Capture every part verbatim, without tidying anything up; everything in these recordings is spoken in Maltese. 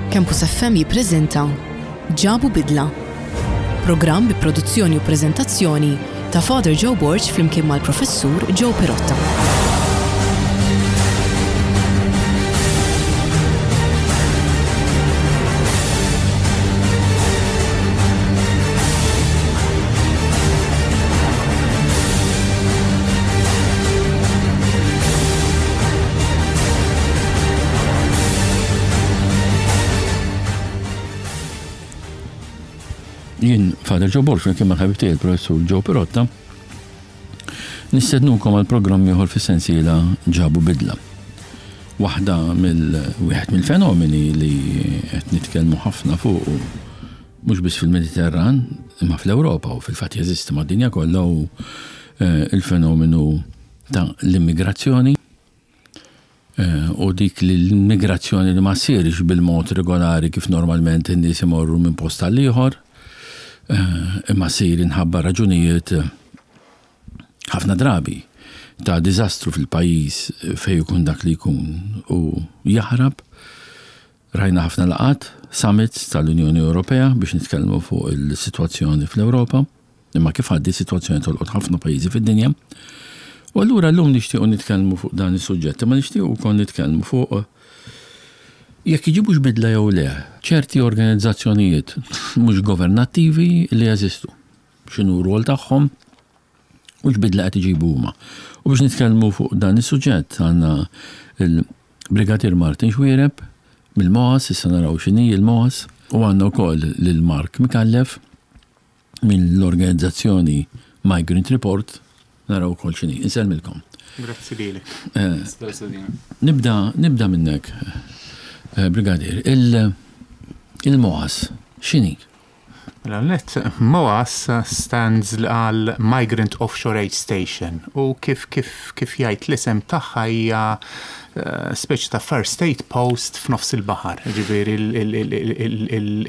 Campus F M jippreżenta Ġabu Bidla. Programm bi produzzjoni u preżentazzjoni ta' Father Joe Borg flimkien mal-Professur Joe Pirotta. Jien Father Joe Borg, flimkien mal-ħabib tiegħi il-Professur Joe Pirotta, nistednukom għal programm ieħor fis-sensiela Ġabu Bidla. Waħda mill wieħed mill-fenomeni li qed nitkellmu ħafna fuq mhux biss fil-Mediterran, imma fl-Ewropa u fil-fatt jeżisti mad-dinja kollha hu eh, il-fenomenu ta' l-immigrazzjoni eh, u dik li l-immigrazzjoni li ma ssirx bil-mod regolari kif normalment in-nies imorru minn post għal ieħor, eh, imma ssir inħabba raġunijiet eh, ħafna drabi ta' diżastru fil-pajjiż fejn ikun dak li jkun u jaħrab. Rajna ħafna laqgħat, summits tal-Unjoni Ewropea biex nitkellmu fuq il-sitwazzjoni fl-Ewropa, imma kif għaddi sitwazzjoni tolqot ħafna pajjiżi fid-dinja. U allura llum nixtiequ nitkellmu fuq dan is-suġġett, imma nixtiequ wkoll nitkellmu fuq jekk iġibux bidla jew le ċerti organizzazzjonijiet mhux governattivi li jeżistu. X'inhu r-rwol tagħhom u x'bidla qed iġibu huma. U biex nitkellmu fuq dan is-suġġett għandna il-Brigadier Martin Xuereb mill-M O A S, issa naraw x'inhi il-M O A S, u għandna wkoll lil Mark Micallef mill-organizzazzjoni Migrant Report, naraw ukoll x'inhi. Insellmilkom. Grazzi lilek. Eh, Nibda, nibda minnek, eh, Brigadier, il- il-M O A S, x'inhi? Mela net, M O A S stands għal Migrant Offshore Aid Station u kif kif kif jgħid l-isem tagħha hija eh, speċi ta' first aid post f'nofs il-baħar. Ġifieri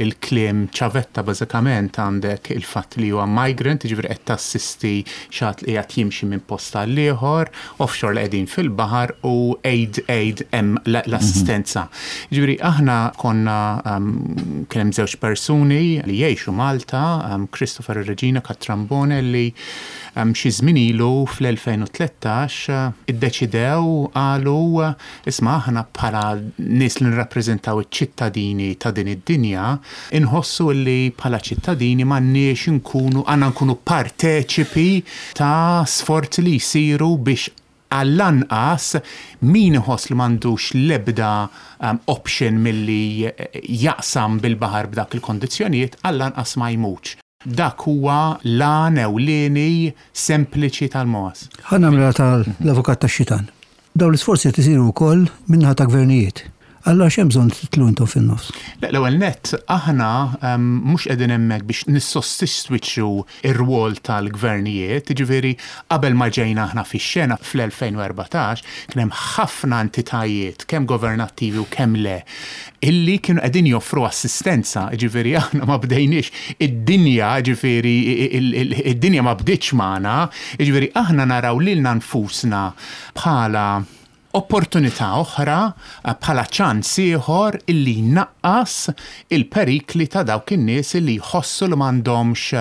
il-kliem ċavetta bażikament għandek il-fatt li huwa migrant, ġifieri qed tassisti xi ħadd li qiegħed jimxi minn post għal ieħor, offshore li qegħdin fil-baħar u aid aid hemm l-assistenza. Ġifieri aħna konna um, kien hemm żewġ persuni li jgħixu Malta, um, Christopher Regina Catrambone, li um, xi żmien ilu fl-elfejn u tlettax uh, iddeċidew, qalu, uh, isma', aħna bħala nies li nirrappreżentaw iċ-ċittadini ta' din id-dinja inħossu li bħala ċittadini m'għandniex nkunu għandna nkunu parteċipi ta' sforzi li jsiru biex għall-anqas min iħoss li m'għandux l-ebda um, option milli jaqsam bil-baħar b'dak il-kondizzjonijiet, għall-anqas ma jmutx. Dak huwa l-għan ewlieni sempliċi tal-M O A S. Ħa nagħmilha tal-avukat tax-xitan. Dawn l-isforzi qed isiru wkoll min-naħa ta' gvernijiet. Allora x'hemm bżonn titlu intom fin-nofs? Le, l-ewwel nett, aħna um, mhux qegħdin hemmhekk biex nissostitwixxu ir-rwol tal-gvernijiet, jiġifieri qabel ma ġejna aħna fix-xena fl-elfejn u erbatax kien hemm ħafna entitajiet, kemm governattivi u kemm le, illi kienu qegħdin joffru assistenza, jiġifieri aħna ma bdejniex id-dinja, jiġifieri id-dinja ma bdietx magħna, jiġifieri aħna naraw lilna nfusna bħala opportunità oħra, eh, bħala ċans ieħor illi jnaqqas il-perikli ta' dawk in-nies illi jħossu li m'għandhomx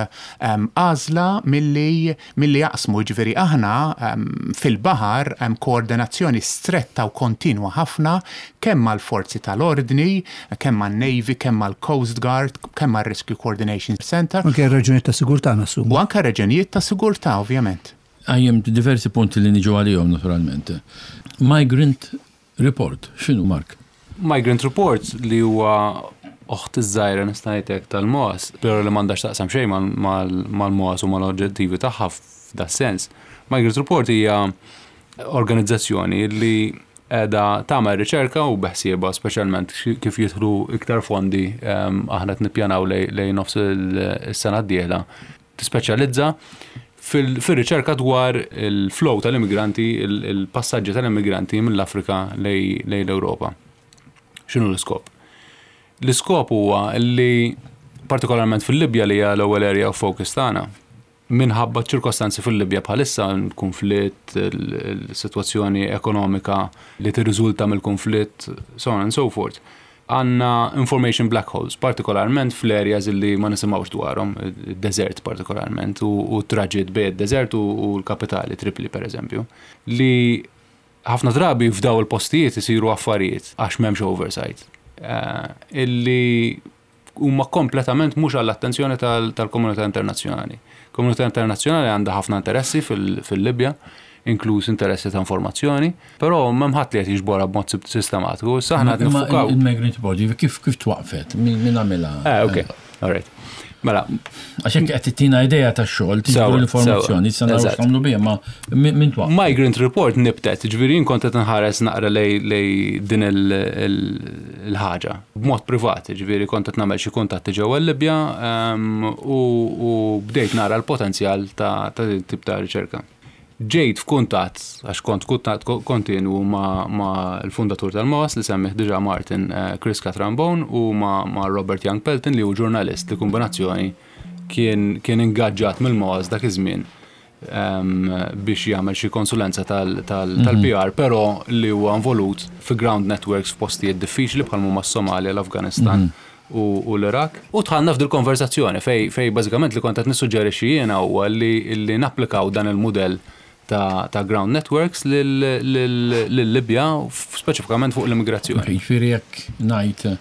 em, għażla milli milli jaqsmu. Ġifieri aħna em, fil-baħar hemm koordinazzjoni stretta u kontinwa ħafna kemm mal-forzi tal-ordni, kemm man-Navy, kemm mal-Coast Guard, kemm mal-Rescue Coordination Center. Anke raġunijiet ta' sigurtà nassum. U anke raġunijiet ta' sigurtà, ovvjament. Qajjimt diversi punti li niġu għalihom naturalment. Migrant Report, x'inhu, Mark? Migrant Report, li huwa oħt iż-żgħira, nista' ngħidlek, tal-M O A S, però li m'għandax taqsam xejn mal-M O A S u mal-oġġettivi tagħha f'da sens. Migrant Report hija organizzazzjoni li qiegħda tagħmel riċerka u beħsieba, speċjalment kif jidħlu iktar fondi, em, aħna qed nippjanaw lej lej nofs il-sena d-dieħla, tispeċjalizza fil- fil-riċerka dwar il-flow tal-immigranti, il- il-passaġġi tal-immigranti mill-Afrika lej lej l-Ewropa. X'inhu l-iskop? L-iskop huwa li partikolarment fil-Libja, li hija l-ewwel area of focus tagħna, minħabba ċirkostanzi fil-Libja bħalissa, il-konflitt, il-sitwazzjoni ekonomika li tirriżulta mill-konflitt, so on and so forth. Għandna information black holes, partikolarment fl-areas li ma nisimgħux dwarhom, desert partikolarment, u, u traġitt bejn desert u, u l-kapitali, Tripoli per eżempju, li ħafna drabi f'daw il-postijiet isiru affarijiet għax m'hemmx oversight. Uh, illi huma kompletament mhux għall-attenzjoni tal-komunità internazzjonali. Komunità internazzjonali għandha ħafna interessi fil-Libja, inkluż interessi ta' informazzjoni, però m'hemm ħadd li qed jiġborha b'mod sistematiku. Issa aħna qed niffukaw. Il-Migrant Body kif kif twaqfet? Min għamilha? Eh, ok, all right. Mela. Għax hekk qed tittina idea tax-xogħol, tiġbru l-informazzjoni, issa naraw x'tagħmlu biha, ma min twaqfet? Migrant Report nibtet, ġifieri jien kont qed nħares naqra lej din il-ħaġa b'mod privat, ġifieri kont qed nagħmel xi kuntatti ġewwa l-Libja u bdejt nara l-potenzjal ta' din tip ta' riċerka. Ġejt f'kuntatt, għax kont kuntatt kontinu ma', ma l-fundatur tal-MOAS li semmih diġà Martin, eh, Chris Catrambone, u ma', ma Robert Young Pelton, li hu ġurnalist li kombinazzjoni kien, kien ingaġġat mill-MOAS dak iż-żmien um, biex jagħmel xi konsulenza tal-P R, tal, tal mm -hmm. però li huwa involut fi ground networks f'postijiet diffiċli bħal huma s-Somalia, l-Afganistan mm -hmm. u, u l-Iraq. U dħalna f'dil konversazzjoni fej, fej bażikament li kont qed nissuġġerixxi jiena huwa li, li napplikaw dan il-mudell ta', ta' ground networks lil-Libja, speċifikament fuq l-immigrazzjoni. Jiġifieri jekk ngħid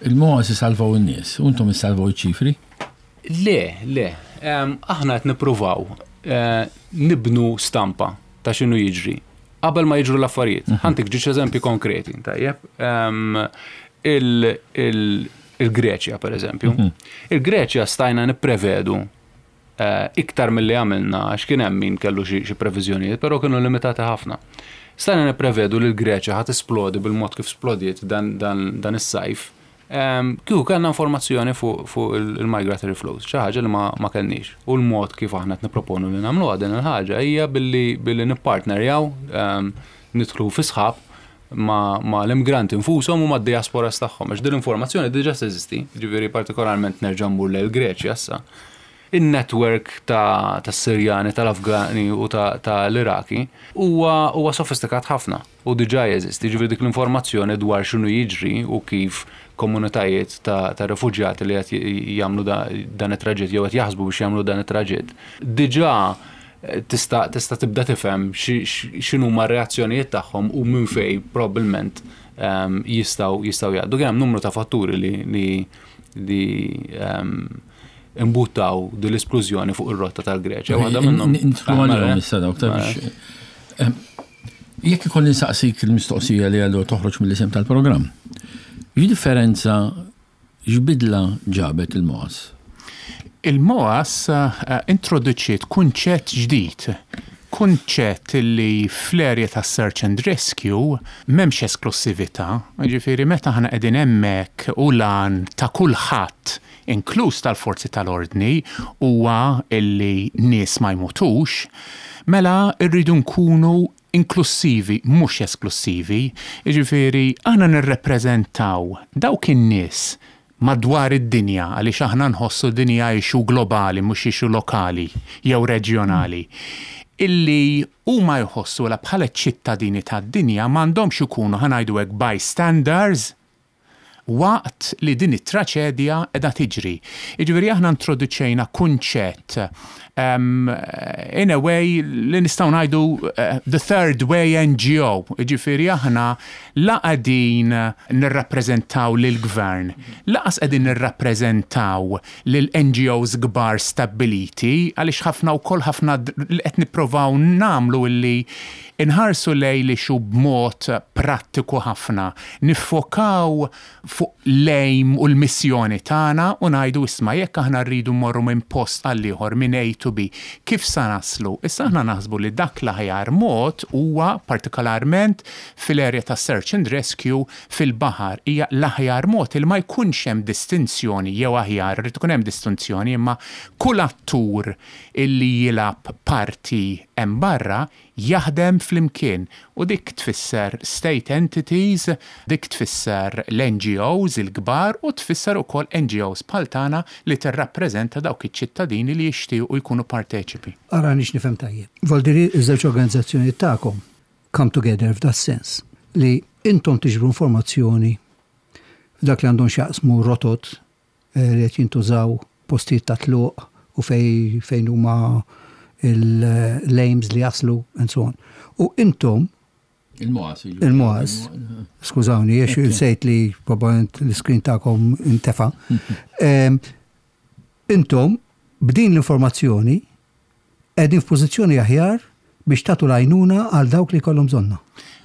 il-MOAS isalvaw in-nies, u intom issalvaw iċ-ċifri? Le, le. Aħna qed nippruvaw eh, nibnu stampa ta' x'inhu jiġri qabel ma jiġru l-affarijiet. Mhm. Ħa ntik żewġ eżempji konkreti, tajjeb. Il-Greċja, per eżempju. Mhm. Il-Greċja stajna nipprevedu eh, iktar mill-li għamilna, għax kien hemm min kellu xi previżjonijiet, però kienu limitati ħafna. Stajna nipprevedu li l-Greċja ħa tisplodi bil-mod kif splodiet dan, dan, dan is-sajf. Kieku kellna informazzjoni fuq fu il-migratory flows, xi ħaġa li ma, ma kellniex. U l-mod kif aħna qed nipproponu li nagħmluha din il-ħaġa hija billi billi nippartnerjaw, nidħlu fi sħab ma, ma l-immigranti infushom u ma d-diasporas tagħhom. Għax din l-informazzjoni diġà teżisti, ġifieri partikolarment nerġa' mmur lejn Greċja issa. In-network ta' tas-Sirjani, tal-Afgani u ta' tal-Iraki huwa huwa sofistikat ħafna u diġà jeżisti. Ġifieri dik l-informazzjoni dwar x'inhu jiġri u kif komunitajiet ta', ta' refuġjati li qed jagħmlu dan it-traġitt jew qed jaħsbu biex jagħmlu dan it-traġitt. Diġà tista' tista' tibda tifhem x'inhuma r-reazzjonijiet tagħhom u minn fejn probabbilment um, jistgħu jistgħu jgħaddu. Kien hemm numru ta' fatturi li li, li um, imbuttaw din l-esplużjoni fuq ir-rotta tal-Greċja. Waħda minnhom. Nidħlu għalihom issa dawk ta' biex. Jekk ikolli nsaqsik il-mistoqsija li għallu toħroġ mill-isem tal-programm. X'differenza, x'bidla ġabet il-MOAS? Il-MOAS uh, introduċiet kunċett ġdid, kunċett li fl-area ta' search and rescue m'hemmx esklusività, ġifieri meta aħna qegħdin hemmhekk u l-għan ta' kulħadd, inkluż tal-forzi tal-ordni, huwa illi nies ma jmutux, mela rridu nkunu inklusivi, mhux esklusivi. Ġifieri aħna nirrepreżentaw dawk in-nies madwar id-dinja, għaliex aħna nħossu dinja issue globali, mhux issue lokali jew reġjonali, illi huma jħossu la bħala ċittadini tad-dinja m'għandhomx ikunu, ħa ngħidu hekk, bystanders waqt li din it-traċedja qiegħda tiġri. Jiġifieri aħna introduċejna kunċett um, in a way li nistgħu ngħidu uh, the third way N G O. Jiġifieri aħna la qegħdin nirrappreżentaw lill-gvern, lanqas qegħdin nirrappreżentaw lil N G Os kbar stabbiliti, għaliex ħafna wkoll ħafna li qed nipprovaw nagħmlu illi inħarsu lej li xu b'mod prattiku ħafna, niffokaw fuq l-aim u l-missjoni tagħna u ngħidu, isma', jekk aħna rridu mmorru minn post għal ieħor, minn A to B, kif sa naslu? Issa aħna naħsbu li dak l-aħjar mod huwa partikolarment fil-area ta' search and rescue fil-baħar, hija l-aħjar mod il ma jkunx hemm distinzjoni, jew aħjar irid ikun hemm distinzjoni, imma kull attur illi jilgħab parti hemm barra jaħdem flimkien, u dik tfisser state entities, dik tfisser l-N G Os il-kbar u tfisser ukoll N G Os bħal tagħna li tirrappreżenta dawk iċ-ċittadini li jixtiequ jkunu parteċipi. Ara nix nifhem tajjeb. Voldiri, iż-żewġ organizzazzjoni tagħkom come together f'da sens li intom tiġbru informazzjoni Dak li għandhom x'jaqsmu rotot eh, li qed jintużaw, postijiet ta' tluq u fej, fejn huma l-aims li jaslu and so on. U intom Il-M O As. Il-M O As. Skużawni, jiex insejt li probablement l-screen tagħkom intefa. Em, Intom, b'din l-informazzjoni, qegħdin f'pożizzjoni aħjar biex tagħtu l-għajnuna għal dawk li kollhom bżonnha.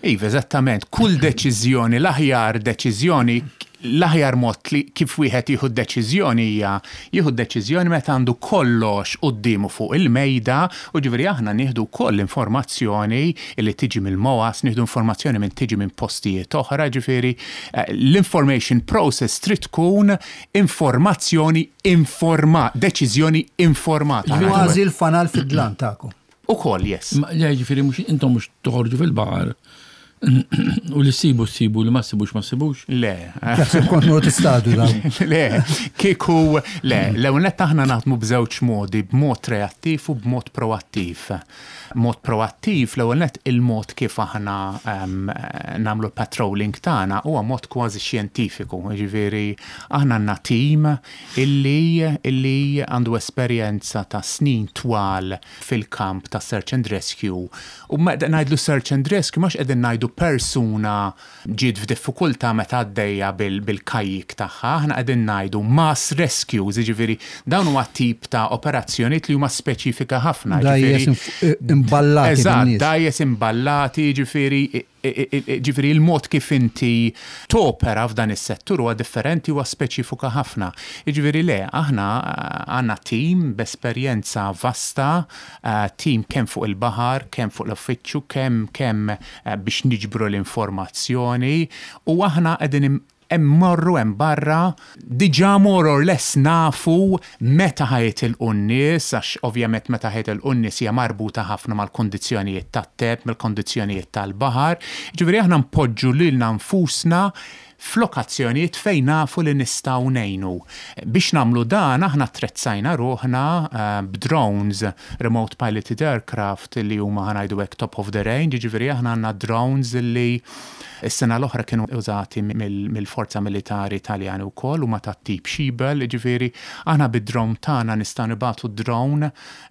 Iva, eżattament. Kull deċiżjoni, l-aħjar deċiżjoni, l-aħjar mod li kif wieħed jieħu deċiżjoni hija jieħu deċiżjoni meta għandu kollox quddiemu fuq il-mejda, u ġifieri aħna nieħdu koll informazzjoni li tiġi mill-M O As, nieħdu informazzjoni minn tiġi minn postijiet oħra, ġifieri eh, l-information process trid tkun informazzjoni informa, deċiżjoni informata. Kważi l-fanal fid-dlam tagħkom. Ukoll, yes. Ma le, ġifieri mhux intom mhux toħorġu fil-baħar u li ssibu ssibu, li ma ssibux ma ssibux. Le. Jaħseb kont mort istadu daw. Le, kieku, le, l-ewwel aħna naħdmu b'żewġ modi, b'mod reattiv u b'mod proattiv. Mod proattiv, l-ewwel nett il-mod kif aħna um, nagħmlu patrolling tagħna huwa mod kważi xjentifiku, ġifieri aħna għandna team illi illi għandu esperjenza ta' snin twal fil-kamp ta' search and rescue. U meta ngħidlu search and rescue, mhux qegħdin ngħidu persuna ġiet f'diffikultà meta għaddejja bil- bil-kajjik tagħha, aħna qegħdin ngħidu mass rescues, jiġifieri dawn huwa tip ta' operazzjonijiet li huma speċifika ħafna. Dgħajjes ġifieri- imballati Eżatt, bin-nies. Dgħajjes imballati, ġifieri ġifieri il-mod kif inti topera f'dan is-settur huwa differenti, huwa speċifika ħafna. Ġifieri le, aħna eh, għandna team b'esperjenza vasta, eh, team kemm fuq il-baħar, kemm fuq l-uffiċċju, kemm kemm eh, biex niġbru l-informazzjoni, u aħna qegħdin im- immorru hemm barra, diġà more or less nafu meta ħa jitilqu n-nies, għax ovvjament meta ħa jitilqu n-nies hija marbuta ħafna mal-kondizzjonijiet tat-temp, mal-kondizzjonijiet tal-baħar. Ġifieri aħna npoġġu lilna nfusna f'lokazzjonijiet fejn nafu li nistgħu ngħinu. Biex nagħmlu dan, aħna attrezzajna ruħna eh, b'drones, remote piloted aircraft, li huma, ħa ngħidu hekk, top of the range, ġifieri aħna għandna drones li s-sena l-oħra kienu użati mill- mill-forza militari Italjani wkoll, huma ta' tip Schiebel, ġifieri aħna bid-drone tagħna nistgħu nibagħtu drone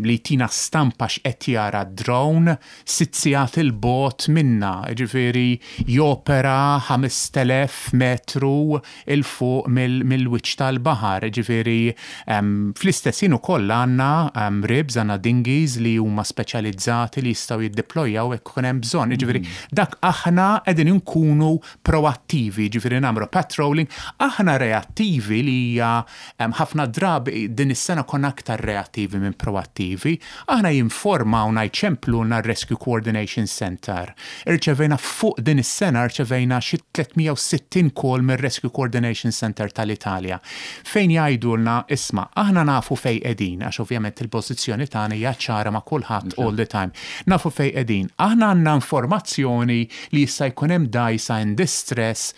li tina stampa x'qed jara drone sitt sigħat 'il bogħod minna, ġifieri jopera ħamest elef metru 'il fuq mill- mill-wiċċ tal-baħar, ġifieri um, fl-istess ħin ukoll għandna um, ribs, għandna dinghies li huma speċjalizzati li jistgħu jiddeployaw jekk ikun hemm bżonn. Ġifieri dak aħna qegħdin inkunu proattivi, ġifieri nagħmlu patrolling, aħna reattivi li hija um, ħafna drabi din is-sena konna aktar reattivi minn proattivi, aħna jinformawna, jċempluna Rescue Coordination Center. Irċevejna fuq din is-sena rċevejna xi tliet mija u sittin call mir-Rescue Coordination Center tal-Italja, fejn jgħidulna, "Isma', aħna nafu fej qegħdin," għax ovvjament il-pożizzjoni tagħna hija ċara ma' kulħadd all the time. "Nafu fej qegħdin. Aħna għandna informazzjoni li jista' jkun hemm dgħajsa in distress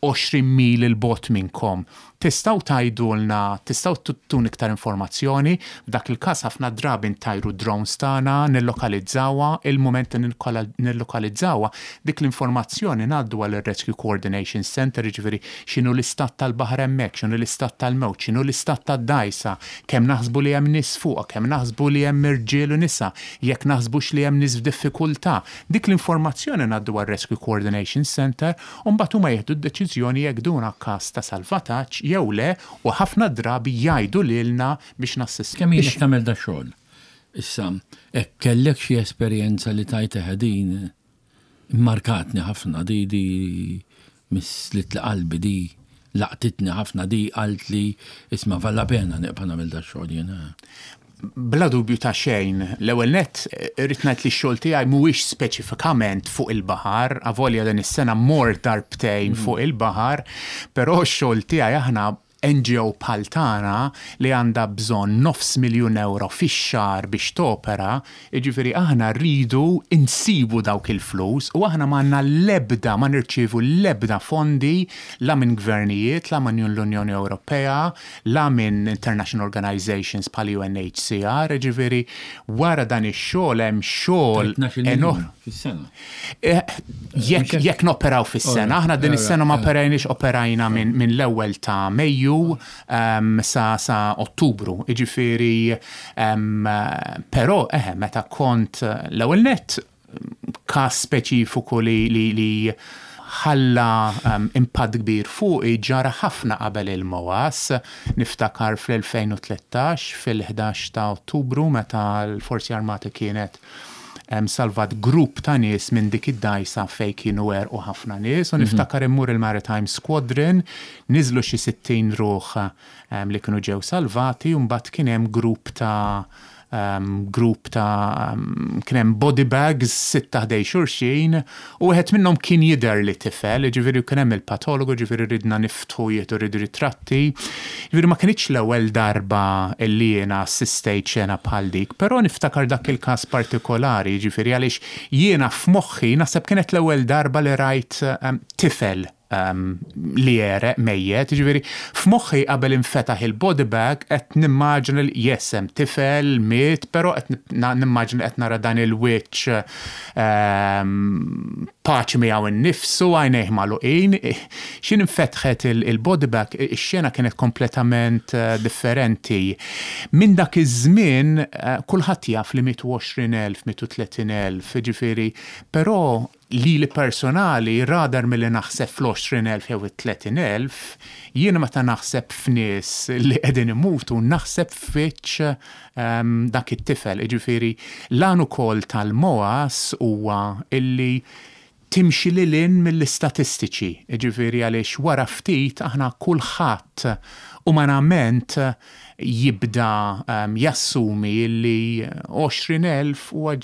għoxrin mil 'il bogħod minnkom. Tistgħu tgħidulna, tistgħu tuna iktar informazzjoni?" F'dak il-każ ħafna drabi ntajru drones tagħna, nillokalizzawha, il-moment li nillokalizzawha, dik l-informazzjoni ngħaddu għal Rescue Coordination Center, jiġifieri x'inhu l-istat tal-baħar hemmhekk, x'inhu l-istat tal-mewġ, x'inhu l-istat tad-dgħajsa, kemm naħsbu li hemm nies fuqha, kemm naħsbu li hemm irġiel u nisa, jekk naħsbux li hemm nies f'diffikultà. Dik l-informazzjoni ngħaddu għal Rescue Coordination Center u mbagħad huma jieħdu d-deċiżjoni jekk duna każ ta' salvataġġ jew le, u ħafna drabi jgħidu lilna biex nassistu. Kemm ilek tagħmel da xogħol? Issa, hekk kellek xi esperjenza li tajt din markatni ħafna, di di missitli qalbi, di laqtitni ħafna, di għalt li isma' valla pena nibqa' nagħmel da xogħol jiena. Bla dubju ta' xejn, l-ewwel nett irrid ngħid li x-xogħol tiegħi mhuwiex speċifikament fuq il-baħar, avolja din is-sena mort darbtejn fuq il-baħar, però x-xogħol tiegħi, aħna N G O bħal tagħna li għandha bżonn nofs miljun euro fix-xahar biex topera, jiġifieri aħna rridu insibu dawk il-flus u aħna m'għandna l-ebda, ma nirċievu l-ebda fondi la minn gvernijiet, la minn l-Unjoni Ewropea, la minn international organizations bħal U N H C R, jiġifieri wara dan ix-xogħol hemm xogħol tnax-il miljun. enorm. Fis-sena. Eh, Jekk jekk noperaw fis-sena, aħna din is-sena ma operajniex, operajna minn min l-ewwel ta' Mejju um, sa, sa Ottubru. Jiġifieri, um, però eħe, meta kont l-ewwel net każ speċifiku li, li, li ħalla um, impatt kbir fuqi ġara ħafna qabel il-M O A S. Niftakar fl-elfejn u tlettax, fil-ħdax ta' Ottubru, meta l-Forzi Armati kienet um, salvat grupp ta' nies minn dik id-dajsa fej kienu u ħafna nies, u niftakar immur il-Maritime Squadron, niżlu xi sittin ruħ um, li kienu ġew salvati, u mbagħad kien hemm grupp ta' um, grupp ta' um, kien hemm body bags sitta ħdejn xulxin u wieħed minnhom kien jidher li tifel, ġifieri kien hemm il-patologu, ġifieri ridna niftħu jieħdu rridu ritratti. Ġifieri ma kinitx l-ewwel darba li jiena assistejt xena bħal dik, però niftakar dak il-każ partikolari, ġifieri għaliex jiena f'moħħi naħseb kienet l-ewwel darba li rajt um, tifel um, li jegħreq mejjet, ġifieri f'moħħi qabel infetaħ il-body bag qed nimmaġina li yes, hemm tifel miet, però qed nimmaġina qed nara dan il-wiċċ um, paċi miegħu innifsu, għajnejh magħluqin. X'ħin infetħet il-body bag, ix-xena kienet kompletament uh, differenti. Minn dak iż-żmien uh, kulħadd jaf li mietu għoxrin elf, mietu tletin elf, ġifieri, però li li personali rather milli naħseb fl-għoxrin elf jew it-tletin elf, jiena meta naħseb f'nies li qegħdin imutu, naħseb f'wiċċ um, dak it-tifel. Ġifieri, l-għan ukoll tal-M O A S huwa illi timxi lil hinn mill-istatistiċi. Ġifieri għaliex wara ftit aħna kulħadd umanament jibda um, jassumi illi għoxrin elf huwa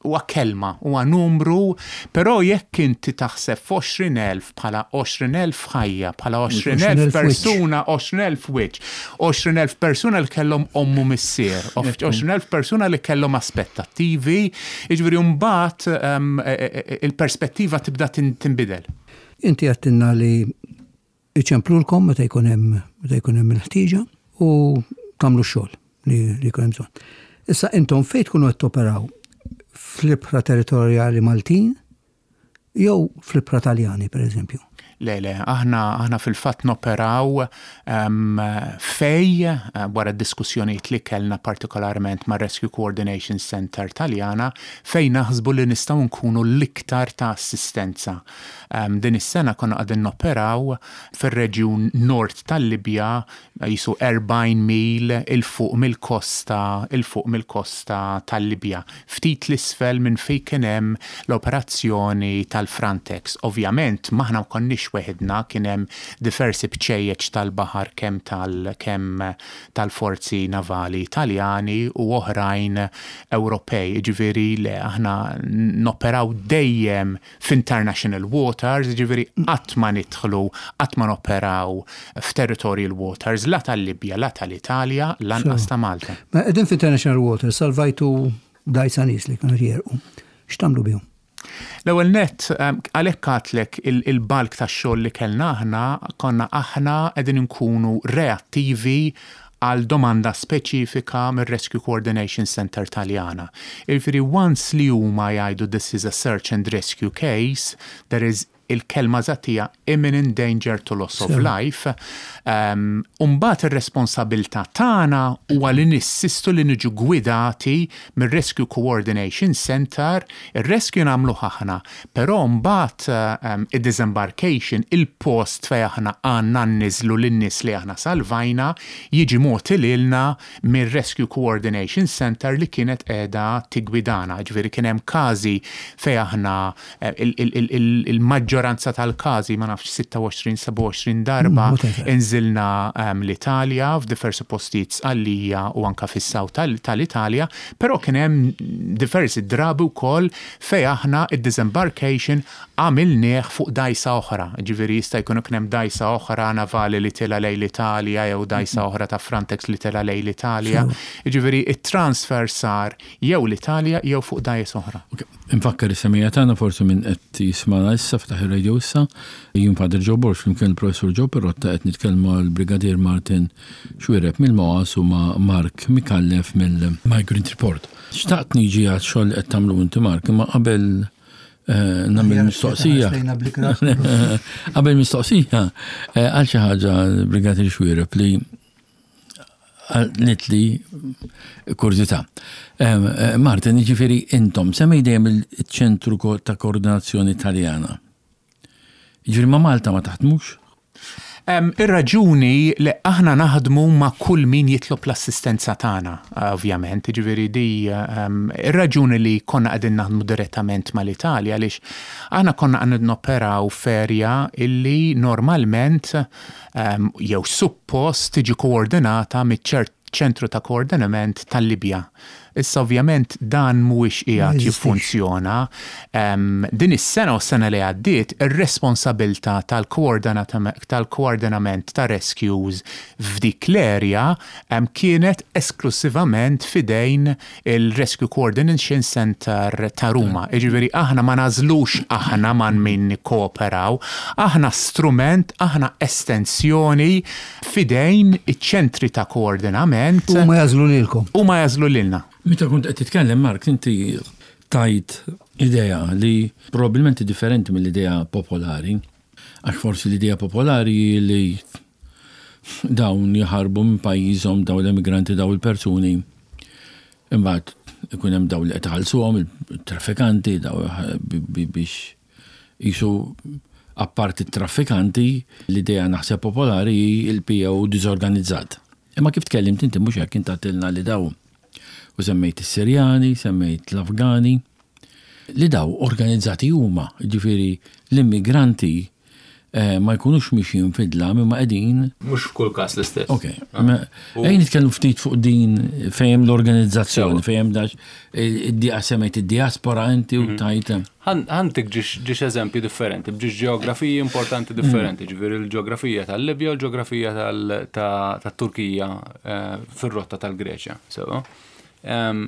huwa kelma, huwa numru, però jekk inti taħseb f'għoxrin elf bħala għoxrin elf ħajja, bħala għoxrin elf persuna, għoxrin elf wiċċ, għoxrin elf persuna li kellhom omm u missier, għoxrin elf persuna li kellhom aspettattivi, jiġifieri mbagħad um, il-perspettiva tibda tinbidel. Inti għedtilna li iċemplulkom meta jkun hemm meta jkun hemm il-ħtieġa u tagħmlu x-xogħol li jkun hemm bżonn. Issa intom fejn tkunu qed toperaw, fl-ibħra territorjali Maltin jew fl-ibħra Taljani, per eżempju? Le, le, aħna, aħna fil-fatt noperaw um, fej, uh, wara diskussjonijiet li kellna partikolarment ma' Rescue Coordination Center Taljana, fej naħsbu li nistgħu nkunu l-iktar ta' assistenza. Um, din is-sena konna qegħdin noperaw fir-reġjun nord tal-Libja, jisu erbgħin mil 'il fuq mill-kosta, 'il fuq mill-kosta tal-Libja. Ftit 'l isfel minn fej kien hemm l-operazzjoni tal-Frontex. Ovvjament, m'aħna ma konniex weħidna, kien hemm diversi bċejjeċ tal-baħar kemm tal kemm tal-forzi navali Italjani u oħrajn Ewropej. Ġifieri le, aħna noperaw dejjem f'international waters, ġifieri qatt ma nidħlu, qatt ma noperaw f'territorial waters la tal-Libja, la tal-Italja, lanqas ta' Malta. Ma qegħdin f'international waters, salvajtu dajsa nies li kienu jegħrqu. X'tagħmlu bihom? L-ewwel net, għalhekk għedtlek il-bulk tax-xogħol li kellna aħna konna aħna qegħdin nkunu reattivi għal domanda speċifika mir-Rescue Coordination Center Taljana. Jiġifieri once li huma jgħidu "This is a search and rescue case, there is", il-kelma eżatt hija "imminent danger to loss of life". Um, Umbagħad ir-responsabilità tagħna huwa li nissistu li niġu gwidati mir-Rescue Coordination Center, ir-rescue nagħmlu aħna, però mbagħad um, id-disembarkation, il-post fejn aħna għandna nniżlu lin-nies li aħna salvajna, jiġi mogħti lilna mir-Rescue Coordination Center li kienet qiegħda tigwidana. Ġifieri kien hemm każi fejn aħna il-maġġoranza tal-każi, ma nafx, sitta u għoxrin, sebgħa u għoxrin darba inżilna um, l-Italja f'diversi postijiet, Sqallija u anka fis-south tal-Italja, però kien hemm diversi drabi wkoll fejn aħna id-disembarkation għamilnieh fuq dajsa oħra. Ġifieri jista' jkun kien hemm dajsa oħra navali li tila lejn l-Italja jew dajsa oħra ta' Frontex li tila lejn l-Italja. Ġifieri it-transfer sar jew l-Italja jew fuq dajsa oħra. Infakkar is-semmiegħa tagħna, forsi min qed jismana issa, ftaħ ir-radio issa, jien Father Joe Borg flimkien il-Professur Joe Pirotta qed nitkellmu mal-Brigadier Martin Xuereb mill-M O A S u ma' Mark Micallef mill-Migrant Report. Xtaqt niġi għal xogħol qed tagħmlu inti, Mark, imma qabel eh, nagħmel mistoqsija. Lejna bl-ikrah. Qabel mistoqsija, eh, għal xi ħaġa Brigadier Xuereb li nitli kurżità. Em, eh, Martin, ġifieri intom, semmej dejjem il-ċentru ko- ta' koordinazzjoni Italjana. Ġifieri ma' Malta ma taħdmux? Um, Ir-raġuni li aħna naħdmu ma' kull min jitlob l-assistenza tagħna, ovvjament, ġifieri di um, ir-raġuni li konna qegħdin naħdmu direttament mal-Italja għaliex aħna konna qegħdin noperaw f'area illi normalment um, jew suppost tiġi koordinata miċ ċentru ta' koordinament tal-Libja. Issa ovvjament dan mhuwiex qiegħed Ma jeżistix. jiffunzjona. Um, din is-sena u s-sena li għaddiet ir-responsabilità tal-koordinatament tal-koordinament ta' rescues f'dik l-area um, kienet esklusivament fidejn il-Rescue Coordination Center ta' Ruma. Iġifieri aħna ma nagħżlux aħna ma' min nikkooperaw, aħna strument, aħna estensjoni fidejn iċ-ċentri ta' koordinament U ma jagħżlu lilkom. u ma jagħżlu lilna. Meta kont qed titkellem, Mark, inti tajt idea li probabbilment differenti mill-idea popolari, għax forsi l-idea popolari li dawn jaħarbu minn pajjiżhom dawn l-immigranti dawn il-persuni. Imbagħad ikun hemm dawn li qed iħallsuhom il-traffikanti daw bi- bi- biex jisu apparti traffikanti l-idea naħseb popolari hi il-P O diżorganizzat. Imma kif tkellimt inti mhux hekk, inti għedtilna li daw u semmejt is-Sirjani, semmejt l-Afgani, li daw organizzati huma, ġifieri l-immigranti eh, ma jkunux mixjin fid-dlam imma qegħdin Mhux f'kull każ l-istess. Ok, ma- ejja nitkellmu ftit fuq din fejn l-organizzazzjoni, Sewa. fejn dax id-dia semmejt id-diaspora inti u tajt. Ħa ntik żewġ eżempji differenti, b'żewġ ġeografiji importanti differenti, ġifieri l-ġeografija tal-Libja u l-ġeografija tal-Turkija eh, fir-rotta tal-Greċja. Sewa. Em,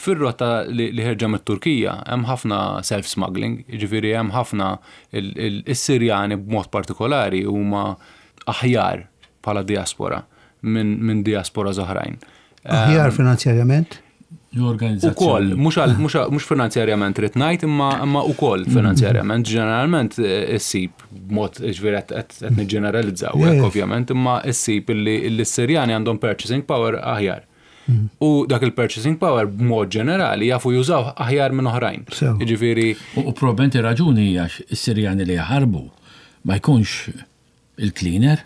Fir-rotta li li ħerġa mit-Turkija hemm ħafna self-smuggling, ġifieri hemm ħafna il- il- is-Sirjani b'mod partikolari huma aħjar bħala diaspora minn min diaspora oħrajn. Aħjar finanzjarjament. L-organizzazzjoni. Ukoll, mhux għal- mhux għal- mhux finanzjarjament rrid ngħid, imma imma ukoll finanzjarjament, ġeneralment eh, issib b'mod ġifieri qed qed qed niġġeneralizzaw Yeah, hekk yeah. ovvjament, imma issib illi illi s-Sirjani għandhom purchasing power aħjar. U dak il-purchasing power b'mod ġenerali jafu jużaw aħjar minn oħrajn. Sew. Jiġifieri U u probabbilment raġuni għax is-Sirjani li jaħarbu ma jkunx il-cleaner.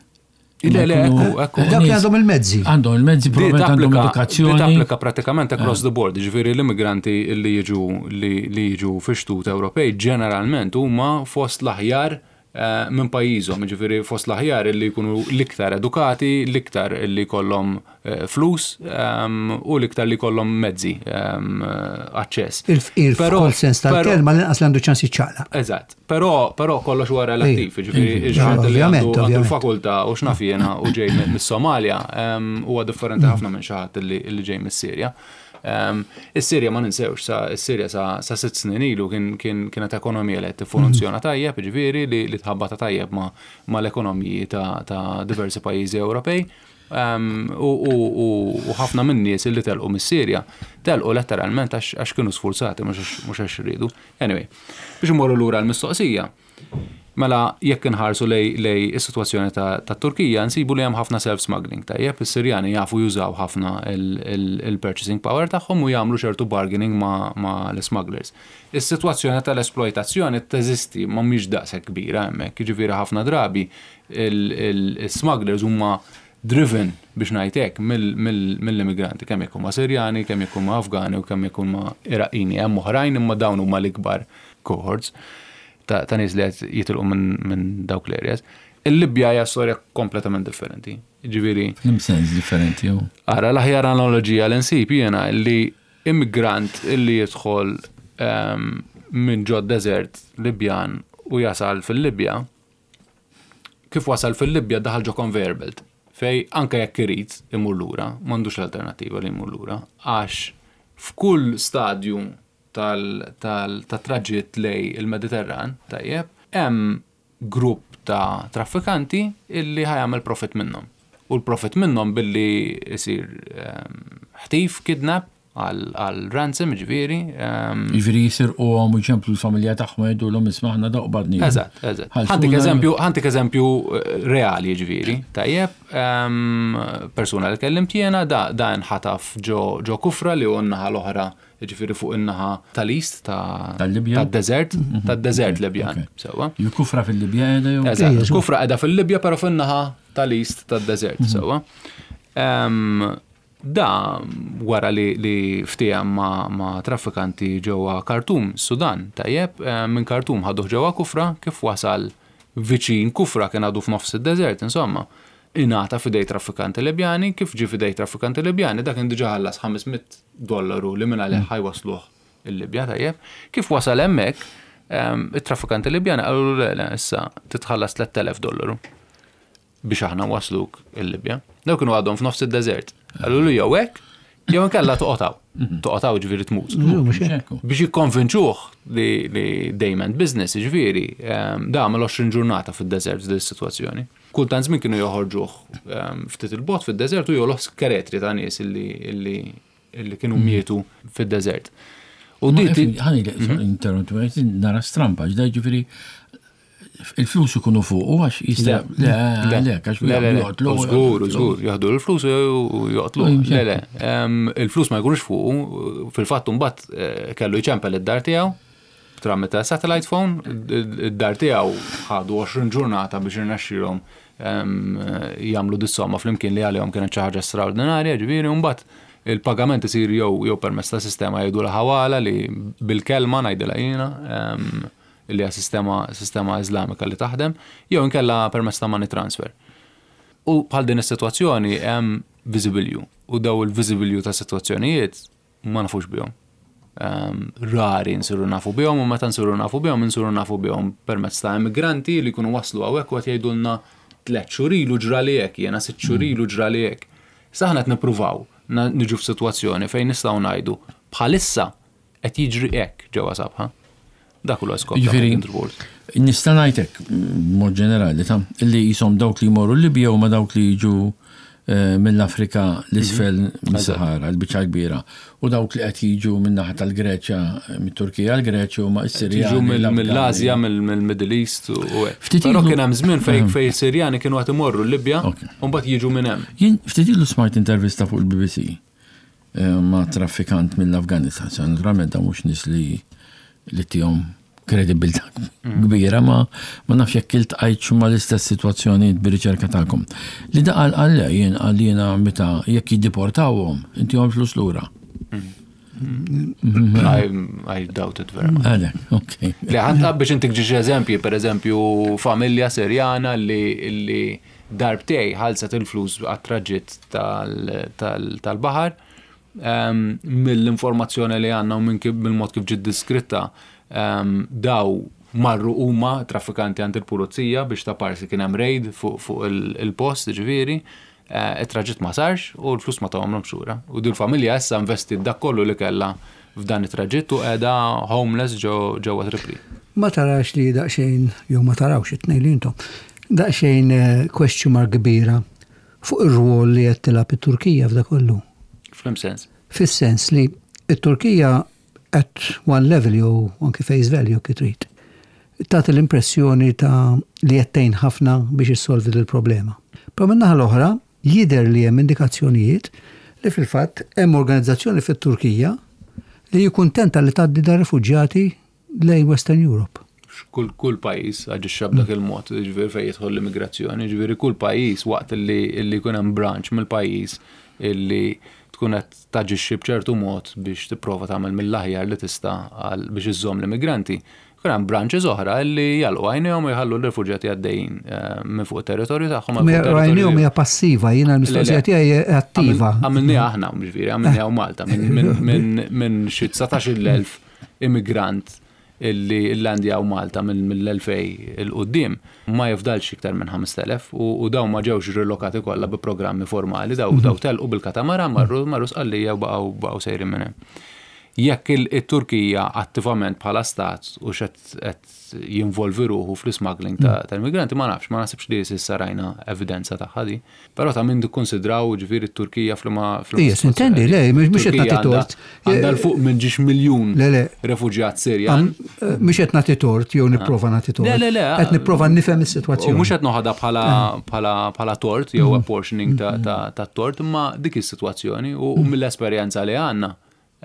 Le, le, Imma ekku, jkunu ekku. Dawk li nies għandhom il-mezzi. Għandhom il-mezzi, Di probabbilment għandhom tapplika- di edukazzjoni. tapplika pratikament across the board, ġifieri l-immigranti li jiġu li li jiġu fi xtut Ewropej ġeneralment huma fost l-aħjar eh, minn pajjiżhom, ġifieri fost l-aħjar li jkunu l-iktar edukati, l-iktar li jkollhom eh, flus ehm, u l-iktar li jkollhom mezzi ehm, aċċess. Il-fqir Però- f'kull sens però- tal-kelma, l-inqas li għandu ċans jiċċaqlaq. Eżatt, però però kollox huwa relattiv, ġifieri Iva, xi ħadd li ovvjament, għandu għandu ovvjament. l-fakultà u x'naf jiena u ġej mi- mis-Somalja em, huwa differenti ħafna minn xi ħadd li li ġej mis-Sirja. Em, Is-Sirja ma ninsewx, sa is-Sirja sa sa sitt snin ilu kien kien kienet ekonomija li qed tiffunzjona tajjeb, ġifieri li li tħabbata tajjeb ma ma l-ekonomiji ta' ta' diversi pajjiżi Ewropej. Um, u, u, u, u ħafna minn nies li telqu mis-Sirja telqu letteralment għax għax kienu sfurzati mhux għax- mhux għax riedu. Anyway, biex imorru lura l-mistoqsija. Mela jekk inħarsu lej lej is-sitwazzjoni ta' ta' Turkija nsibu li hemm ħafna self-smuggling, tajjeb, is-Sirjani jafu jużaw ħafna il-purchasing power tagħhom u jagħmlu ċertu bargaining ma' ma' l-smugglers. Is-sitwazzjoni tal-esploitazzjoni teżisti ma mhix daqshekk kbira hemmhekk, jiġifieri ħafna drabi il-smugglers huma driven biex ngħid mill-immigranti, kemm jekk huma Sirjani, kemm jekk huma Afgani u kemm jekk huma Iraqini, hemm oħrajn imma dawn huma l-ikbar cohorts ta' ta' nies li qed jitilqu minn min dawk l-areas. Il-Libja hija storja kompletament differenti. Ġifieri, F'liem sens differenti, jew. ara, l-aħjar analogija li nsib jiena li immigrant illi jidħol um, minn ġod desert Libjan u jasal fil-Libja, kif wasal fil-Libja daħal ġo conveyor belt, fej anke jekk irid imur lura, m'għandux l-alternativa li jmur lura, għax f'kull stadju tal-traġitt lej il-Mediterran, tajjeb, hemm grupp ta' traffikanti illi ħa jagħmel profit minnhom. U l-profit minnhom billi isir ehm, ħtif, kidnap għal ransom, ġifieri. Ġifieri jisirquhom u jċemplu l-familja tagħhom jgħidulhom isma' aħna dawk qbadni. Eżatt, eżatt. Ħa ntik eżempju, ħa ntik eżempju reali, ġifieri. Tajjeb, persuna li kellimt jiena da da nħataf ġo ġo Kufra li hu n-naħa l-oħra, ġifieri fuq in-naħa tal-East ta' Tal-Libja? Tad-deżert, tad-deżert Libjan. Sewwa. Ju Kufra fil-Libja qiegħda jew? Eżatt, Kufra qiegħda fil-Libja però fin-naħa tal-East tad-deżert, sewwa. Da wara li, li ftiehem ma, ma traffikanti ġewwa Khartoum, Sudan, tajjeb, minn Khartoum ħaduh ġewwa Kufra, kif wasal viċin Kufra kien għadu f'nofs id-deżert, insomma. Ingħata f'idej traffikanti Libjani, kif ġie f'idej traffikanti Libjani, dak kien diġà ħallas ħames mitt dollaru li minn għalih ħa jwassluh il-Libja, tajjeb. Kif wasal hemmhekk, it-traffikanti Libjani qalu le, le, issa titħallas tlett elef dollaru biex aħna wasluk il-Libja. Daw kienu għadhom f'nofs id-deżert. Qalulu jew hekk, jew inkella toqgħod. Toqgħod ġifieri tmut. Biex jikkonvinċuh li, li they meant business, ġifieri, da għamel għoxrin ġurnata fid-deżert f'din is-sitwazzjoni. Kultant żmien kienu joħorġuh ftit il-bogħod fid-deżert u jolħ skeletri ta' nies illi, illi, illi kienu mietu fid-deżert. U di ħa ninterrompi, nara strampa, ġda ġifieri il-flus ikunu fuq u għax jista' le, le, għax Le, le, le, joqtlu. Żgur, żgur, jaħdu l-flus u joqtlu. Le, le, il-flus ma jkunux fuq, fil-fatt mbagħad eh, kellu jċempel id-dar tiegħu tramite satellite phone, id-dar tiegħu ħadu għoxrin ġurnata biex irnexxielhom jagħmlu dis-somma flimkien li għalihom kienet xi ħaġa straordinarja, ġifieri, u mbagħad il-pagament isir jew jew permezz ta' sistema jgħidu l-ħawala li bil-kelma ngħidilha jiena, li hija sistema, sistema Iżlamika li taħdem, jew inkella permezz ta' money transfer. U bħal din is-sitwazzjoni hemm visibilju, u daw il-visibilju ta' sitwazzjonijiet ma nafux bihom. Um, rari nsiru nafu bihom, u meta nsiru nafu bihom, nsiru nafu bihom permezz ta' immigranti li jkunu waslu hawnhekk u qed jgħidulna tliet xhur ilu ġrali hekk, jiena sitt xhur ilu ġrali hekk. Issa aħna qed nippruvaw niġu f'sitwazzjoni fejn nistgħu ngħidu bħalissa qed jiġri hekk ġewwa Sabħa. Dak huwa skop ta' Jiġifieri, Migrant Report. Nista' ngħidlek b'mod ġenerali ta' illi jisom dawk li jmorru Libja u ma dawk li jiġu eh, mill-Afrika l-isfel mis-Sahara, l-biċċa kbira, u dawk li qed jiġu min-naħa tal-Greċja, mit-Turkija l-Greċja huma s-Sirjani. Jiġu mill- l-Afgani. mill-Asja, mill-Middle East u hekk. Ftit Però ilu- kien hemm żmien fejn fejn Sirjani kienu qed imorru l-Libja Ok. u mbagħad jiġu minn hemm. Jien ftit ilu smajt intervista fuq il-B B C eh, ma' traffikant mill-Afganistan. Sa naturalment da mhux nies li li tihom kredibilità kbira, ma ma nafx jekk iltqajtx ma l-istess sitwazzjoni bir-riċerka tagħkom. Li da qal qal le, jien qal jiena meta jekk jiddeportawhom, intihom flus lura. I, I doubt it very much. Għalek, ok. Le, ħa nta biex intik ġiġ eżempji, per eżempju, familja Sirjana li, li darbtejn ħallset il-flus għat-traġitt tal-baħar, em, mill-informazzjoni li għandna u minn kif- mill-mod kif ġiet diskritta, em, daw marru huma traffikanti għand il-pulizija biex ta' parsi kien hemm raid fuq fuq il- il-post, ġifieri, eh, it-traġitt ma sarx u l-flus ma tawhomlhomx lura. U dil familja issa investit dak kollu li kellha f'dan it-traġitt u qiegħda homeless ġo ġewwa Tripli. Ma tarax li daqsxejn, jew ma tarawx it-tnejn li intom, daqsxejn eh, question mark kbira fuq ir-rwol li qed tilgħab it-Turkija f'da kollu? F'liema sens. Fis-sens li it-Turkija at one level jew anki face value kif trid, tagħti l-impressjoni ta' li qed tgħin ħafna biex issolvi l-problema. Però min-naħa l-oħra jidher li hemm indikazzjonijiet li fil-fatt hemm organizzazzjoni fit-Turkija li jikuntenta li tgħaddi da rifuġjati lejn Western Europe. Kull kull pajjiż aġixxa b'dak il-mod, ġifieri fejn jidħol l-immigrazzjoni, ġifieri kull pajjiż waqt li li jkun hemm branch mill-pajjiż illi tkun qed taġixxi b'ċertu mod biex tipprova tagħmel mill-aħjar li tista' għal biex iżżomm l-immigranti. Jkun hemm branches oħra li jagħlqu għajnejhom u jħallu l-rifuġjati għaddejjin eh, minn fuq it-territorju tagħhom għal fuq territorju- Għajnejhom hija passiva, jiena l-mistoqsija Le, le. tiegħi hija attiva. Għamilniha aħna, ġifieri, għamilniha u Malta, minn- minn- minn minn xi dsatax-il elf immigrant illi illandjaw Malta mill-elfejn 'il quddiem ma jifdalx iktar minn ħamest elef u u daw ma ġewx rilokati kollha bi programmi formali, daw daw telqu bil-katamaran, marru marru Sqallija u baqgħu baqgħu sejrin minn hemm. Jekk il-Turkija attivament bħala stat u xed qed jinvolvi ruħu fl-smuggling ta' tal-migranti, ma nafx, ma nasibx li s'issa rajna evidenza ta' ħadi. Però ta' min nikkonsidraw ġifieri t-Turkija fl-ma. Ija, sintendi, le, mhux qed nagħti tort. Għandha 'l fuq minn ġiex miljun Le, le. refuġjat Sirjan. Mhux qed nagħti tort jew nipprova nagħti tort. Le, le, le. Qed nipprova nifhem U is-sitwazzjoni. mhux qed noħodha bħala bħala bħala tort jew apportioning ta' ta' ta' tort, imma dik is-sitwazzjoni u u mill-esperjenza li għandna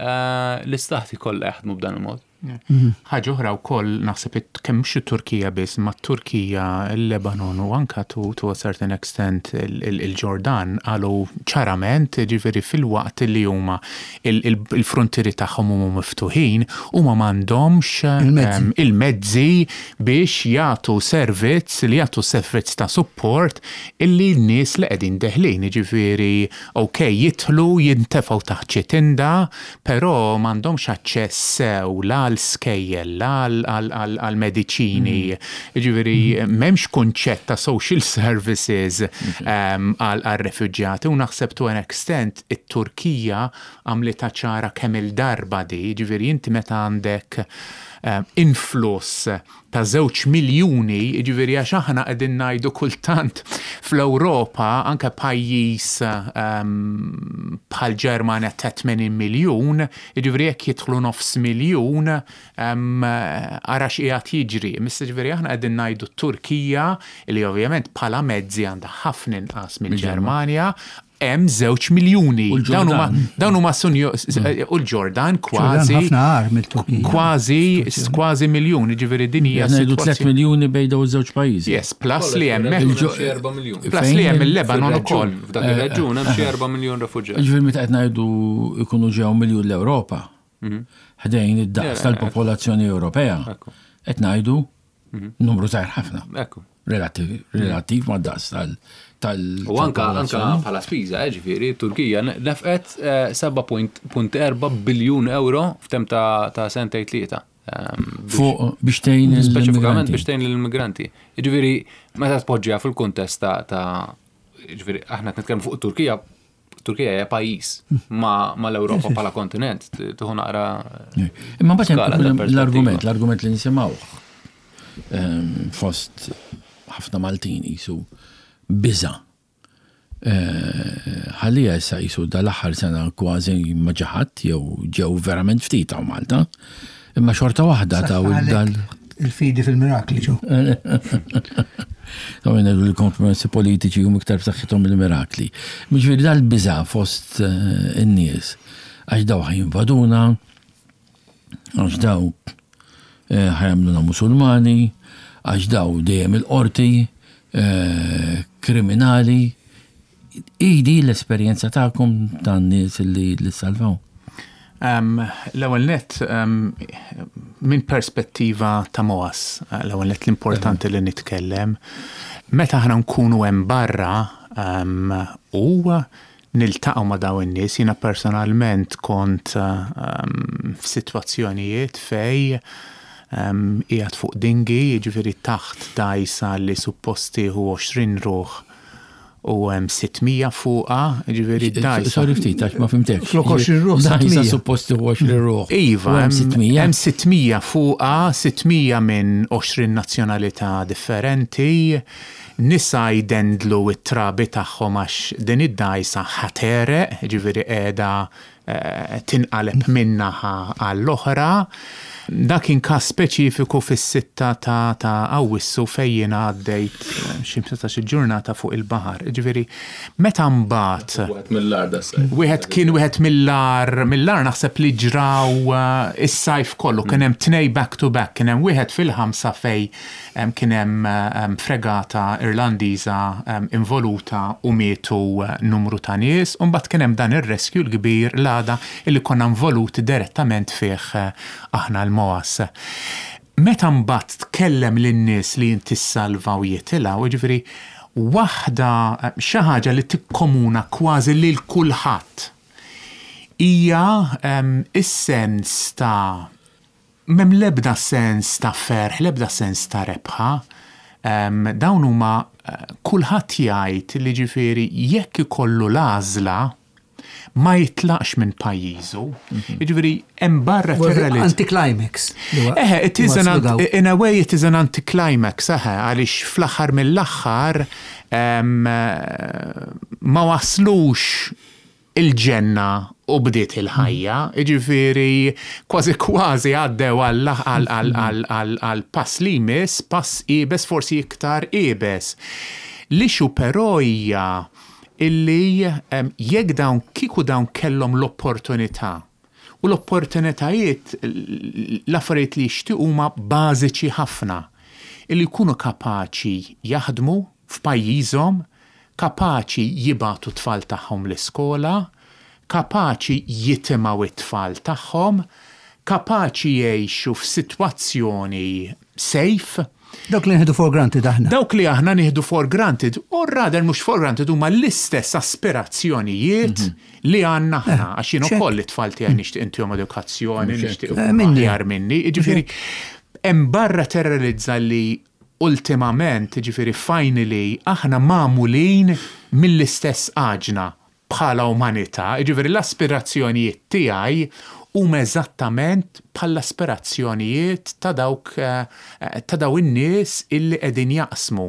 eh, l-istati kollha jaħdmu b'dan il-mod. Ħaġa oħra wkoll naħseb it- kemm mhux it-Turkija biss, ma t-Turkija, il-Lebanon u anka to, to a certain extent il- il- il-Ġordan qalu ċarament, ġifieri fil-waqt li huma il- il- il-frontieri tagħhom huma miftuħin, huma m'għandhomx Il-mezzi. em, il-mezzi biex jagħtu servizz li jagħtu servizz ta' support illi n-nies li qegħdin deħlin, ġifieri ok, jidħlu jintefgħu taħt xi tinda, però m'għandhomx aċċess sew la għal skejjel, la għal- għal- għal għal mediċini, ġifieri m'hemmx kunċett ta' social services em, għal għal refuġjati u naħseb to an extent it-Turkija għamlitha ċara kemm il-darba di, ġifieri inti meta għandek em, influss ta' żewġ miljuni, ġifieri għax aħna qegħdin ngħidu kultant fl-Ewropa anke pajjiż um, bħal Ġermanja ta' tmenin miljun, ġifieri jekk jidħlu nofs miljun, um, ara x'qiegħed jiġri. Missa ġifieri aħna qegħdin ngħidu Turkija li ovvjament bħala mezzi għandha ħafna inqas mill-Ġermanja, hemm żewġ miljuni. U l-Ġordan. Dawn huma dawn huma sunju u l-Ġordan kważi ħafna agħar mill-Turkija. kważi kważi miljun, ġifieri din hija Qed ngħidu tliet sitwazzjoni. miljuni bejn dawn iż-żewġ pajjiżi. Yes, plus li hemmhekk Il-ġo- Xi erba' miljun. plus li hemm il-Lebanon ukoll. F'dak ir-reġjun hemm xi erba' miljun refuġjat. Ġifieri meta qed ngħidu jkunu ġew miljun l-Ewropa, ħdejn id-daqs tal-popolazzjoni Ewropea, Ekku. qed ngħidu numru żgħir ħafna. Ekku. Relativ, relativ ma' daqs tal- tal U anka anka tal-popolazzjoni. bħala spiża, eh, ġifieri, Turkija nefqet eh, seba' punt erba' biljun euro f'temp ta' ta' sentejn tlieta. Ehm, biex- Fuq biex tgħin Speċifikament l-immigranti. biex tgħin l-immigranti. Ġifieri, meta tpoġġiha fil-kuntest ta' ta' ġifieri, aħna qed nitkellmu fuq Turkija, Turkija hija pajjiż ma, ma l-Ewropa bħala kontinent, tieħu naqra. Imma mbagħad skala hemm ta' perspettiva. l-argument, l-argument li nisimgħu ehm, fost ħafna Maltin jisu biża. Eh, Ħallija issa jisu dal-aħħar sena kważi ma ġaħat jew ġew verament ftit hawn Malta. Imma xorta waħda ta' dal Il-fidi fil-mirakli ġo. Ta' minn l-kompromessi politiċi huma iktar b'saħħithom mill-mirakli. Ġifieri dal-biża fost eh, in-nies għax daw ħa jinvaduna, għax daw eh, ħa jagħmluna musulmani, għax daw dejjem il-qorti, eh, kriminali. Idi l-esperjenza tagħkom tan-nies li li salvaw. Um, L-ewwel net, um, minn perspettiva ta' MOAS, l-ewwel net l-importanti li nitkellem, meta aħna nkunu hemm barra um, u niltaqgħu ma' dawn in-nies, jiena personalment kont um, f'sitwazzjonijiet fej um, qiegħed fuq dinghy, jiġifieri taħt dajsa li suppost tieħu għoxrin ruħ u hemm sitt mija fuqha, jiġifieri dajsa. Sorry ftit, għax ma fhimtekx. Flok għoxrin ruħ, Dajsa sitt mija. supposti għoxrin ruħ. Iva, U hemm hemm sitt mija. hemm sitt mija fuqha, sitt mija minn għoxrin nazzjonalità differenti, nisa jdendlu it-trabi tagħhom għax din id-dajsa ħa tegħreq, ġifieri qiegħda eh, tinqaleb min-naħa għall-oħra. Dak kien każ speċifiku fis-sitta ta' ta' Awwissu fejn jiena għaddejt eh, xi ħmistax-il ġurnata fuq il-baħar. Ġifieri meta mbagħad Wieħed mill-agħar da. Wieħed kien wieħed mill-agħar, mill-agħar naħseb li ġraw uh, is-sajf kollu, kien hemm tnej back to back, kien hemm wieħed fil-ħamsa fej em, kien hemm em, fregata Irlandiża em, involuta u mietu uh, numru ta' nies, u mbagħad kien hemm dan ir-rescue l-kbir l-għada illi konna involuti direttament fih eh, aħna l-MOAS. Meta mbagħad tkellem lin-nies li inti ssalva u jitilgħu, jiġifieri waħda xi ħaġa li tikkomuna kważi lil kulħadd hija em, is-sens ta' m'hemm l-ebda sens ta' ferħ, l-ebda sens ta' rebħa. Em, dawn huma eh, kulħadd jgħid li ġifieri jekk ikollu l-għażla ma jitlaqx minn pajjiżu. Jiġifieri hemm barra tirrealizza. Anticlimax. Eħe, it is an, in a way it is an anticlimax, eħe, għaliex fl-aħħar mill-aħħar ma waslux il-ġenna u bdiet il-ħajja, jiġifieri kważi kważi għaddew għal pass li jmiss, pass iebes, forsi iktar iebes. L-issue però hija illi jekk dawn kieku dawn kellhom l-opportunità u l-opportunitajiet, l-affarijiet li jixtiequ huma bażiċi ħafna, illi jkunu kapaċi jaħdmu f'pajjiżhom, kapaċi jibagħtu tfal tagħhom l-iskola, kapaċi jitimgħu it-tfal tagħhom, kapaċi jgħixu f'sitwazzjoni safe. Dawk li nieħdu for granted aħna. Dawk li aħna nieħdu for granted, u rather mhux for granted, huma l-istess aspirazzjonijiet li għandna aħna. Għax jien ukoll it-tfal tiegħi nixtieq intihom edukazzjoni, nixtieq aħjar minni. Jiġifieri hemm barra terrorizza li ultimament, jiġifieri finally, aħna magħmulin mill-istess għaġna bħala umanità, jiġifieri l-aspirazzjonijiet tiegħi huma eżattament bħall-aspirazzjonijiet ta' dawk ta' daw in-nies illi qegħdin jaqsmu.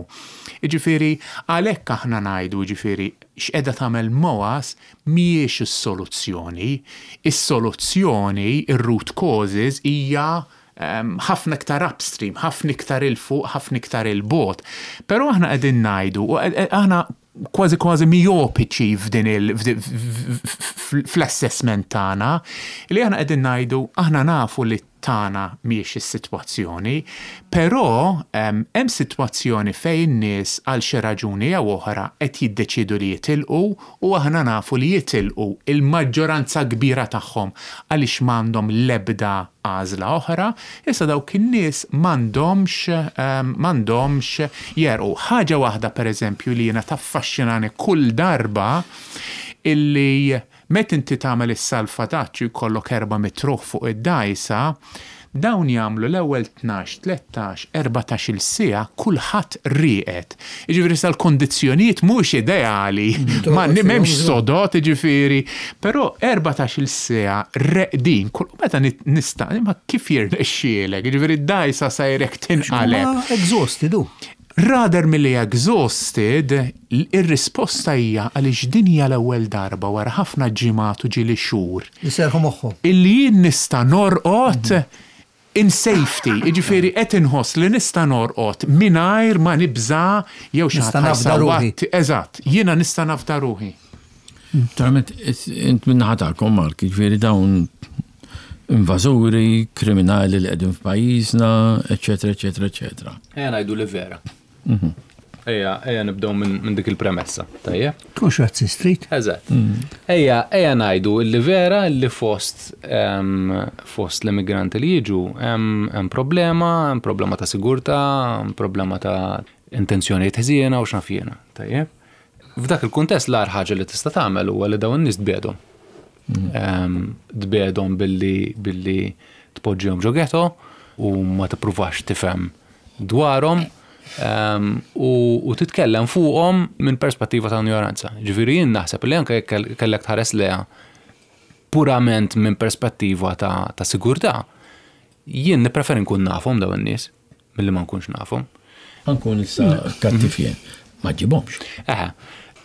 Jiġifieri għalhekk aħna ngħidu, jiġifieri x'qiegħda tagħmel M O A S mhijiex is-soluzzjoni. Is-soluzzjoni, ir-root causes hija ħafna iktar upstream, ħafna iktar 'il fuq, ħafna iktar 'il bogħod. Però aħna qegħdin ngħidu, aħna kważi kważi miopiċi f'din il fl-assessment tagħna, li aħna qegħdin ngħidu aħna nafu li tagħna mhijiex is-sitwazzjoni, però hemm sitwazzjoni fejn in-nies għal xi raġuni jew oħra qed jiddeċidu li jitilqu u aħna nafu li jitilqu il-maġġoranza kbira tagħhom għaliex m'għandhom l-ebda għażla oħra, issa dawk in-nies m'għandhomx m'għandhomx jerqu. Ħaġa waħda, pereżempju, li jiena taffaxxinani kull darba, illi meta inti tagħmel is-salvataġġ jkollok erba' mitt ruħ fuq id-dgħajsa, dawn jagħmlu l-ewwel tnax, tlettax, erbatax-il siegħa kulħadd rieqed. Jiġifieri sal-kondizzjonijiet mhux ideali, ma m'hemmx sodod, jiġifieri, però erbatax-il siegħa reqdin, kull meta nista' ma kif jirnexxielek, jiġifieri d-dgħajsa sejrek tinqaleb. Exhausted u. Rather milli exhausted, ir-risposta hija għaliex din hija l-ewwel darba wara ħafna ġimgħat u ġieli xhur. Li serħu moħħhom. Illi jien nista' norqod in safety, jiġifieri qed inħoss li nista' norqod mingħajr ma nibża jew xi Nista' nafda ruħi. Eżatt, jiena nista' nafda ruħi. Naturalment, int min-naħa tagħkom, Mark, jiġifieri dawn invażuri, kriminali li qegħdin f'pajjiżna, eċetera, eċetera, eċetera. Ejja ngħidu li vera. Ejja, ejja nibdew minn min dik il-premessa, tajjeb? Tkunx razzist, street. Eżatt. Ejja, ejja ngħidu li vera li fost em, fost l-immigranti li jiġu hemm hemm problema, hemm problema ta' sigurtà, hemm problema ta' intenzjonijiet ħżiena u x'naf jiena, tajjeb? F'dak il-kuntest l-agħar ħaġa li tista' tagħmel huwa li dawn in-nies tbiegħedhom. Em, Tbiegħedhom billi billi tpoġġihom ġo ghetto u ma tippruvax tifhem dwarhom em, u, u titkellem fuqhom minn perspettiva ta' ignoranza. Ġifieri jien naħseb li anke jekk kellek tħares leha purament minn perspettiva ta', ta' sigurtà, jien nippreferi nkun nafhom dawn in-nies milli ma nkunx nafhom. Ħa nkun issa kattiv jien. Ma ġibhomx. Eħe,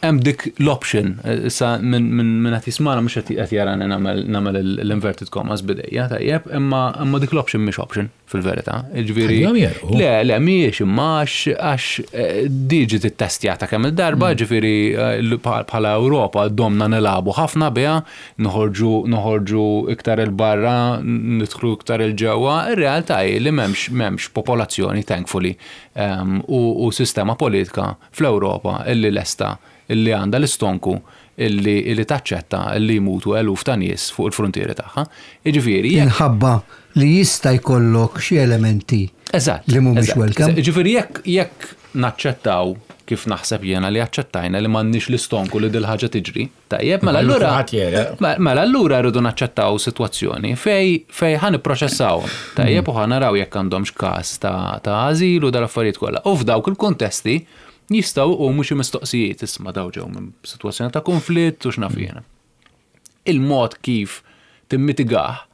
hemm dik l-option, issa minn min, min qed jismana mhux qed qed jarani nagħmel nagħmel l-inverted commas b'idejja, tajjeb, imma imma dik l-option mhix option fil-verità. Jiġifieri Ħallihom jerqu. Le, le, mhijiex, imma għax għax eh, diġi tittestjata kemm il-darba, ġifieri eh, l- bħala Ewropa domna nilagħbu ħafna biha, noħorġu noħorġu iktar 'il barra, nidħlu iktar 'il ġewwa. Ir-realtà hi li m'hemmx m'hemmx popolazzjoni, thankfully, em, u, u sistema politika fl-Ewropa illi lesta, illi għandha l-istonku illi, illi taċċetta illi jmutu eluf ta' nies fuq il-frontieri tagħha. Jiġifieri jekk Minħabba li jista' jkollok xi elementi Eżatt. li mhumiex eżatt. welcome. Ġifieri jekk jekk naċċettaw, kif naħseb jiena li aċċettajna li m'għandniex l-istonku li dil-ħaġa tiġri, tajjeb, mela allura Kulħadd jereq. Mela allura rridu naċċettaw sitwazzjoni fej fej ħa nipproċessawhom. Tajjeb, u ħa naraw jekk għandhomx każ ta' ta' ażil u dal-affarijiet kollha. U f'dawk il-kontesti jistgħu jqumu xi mistoqsijiet, isma' daw ġew minn sitwazzjoni ta' konflitt u x'naf jiena. Il-mod kif timmitigah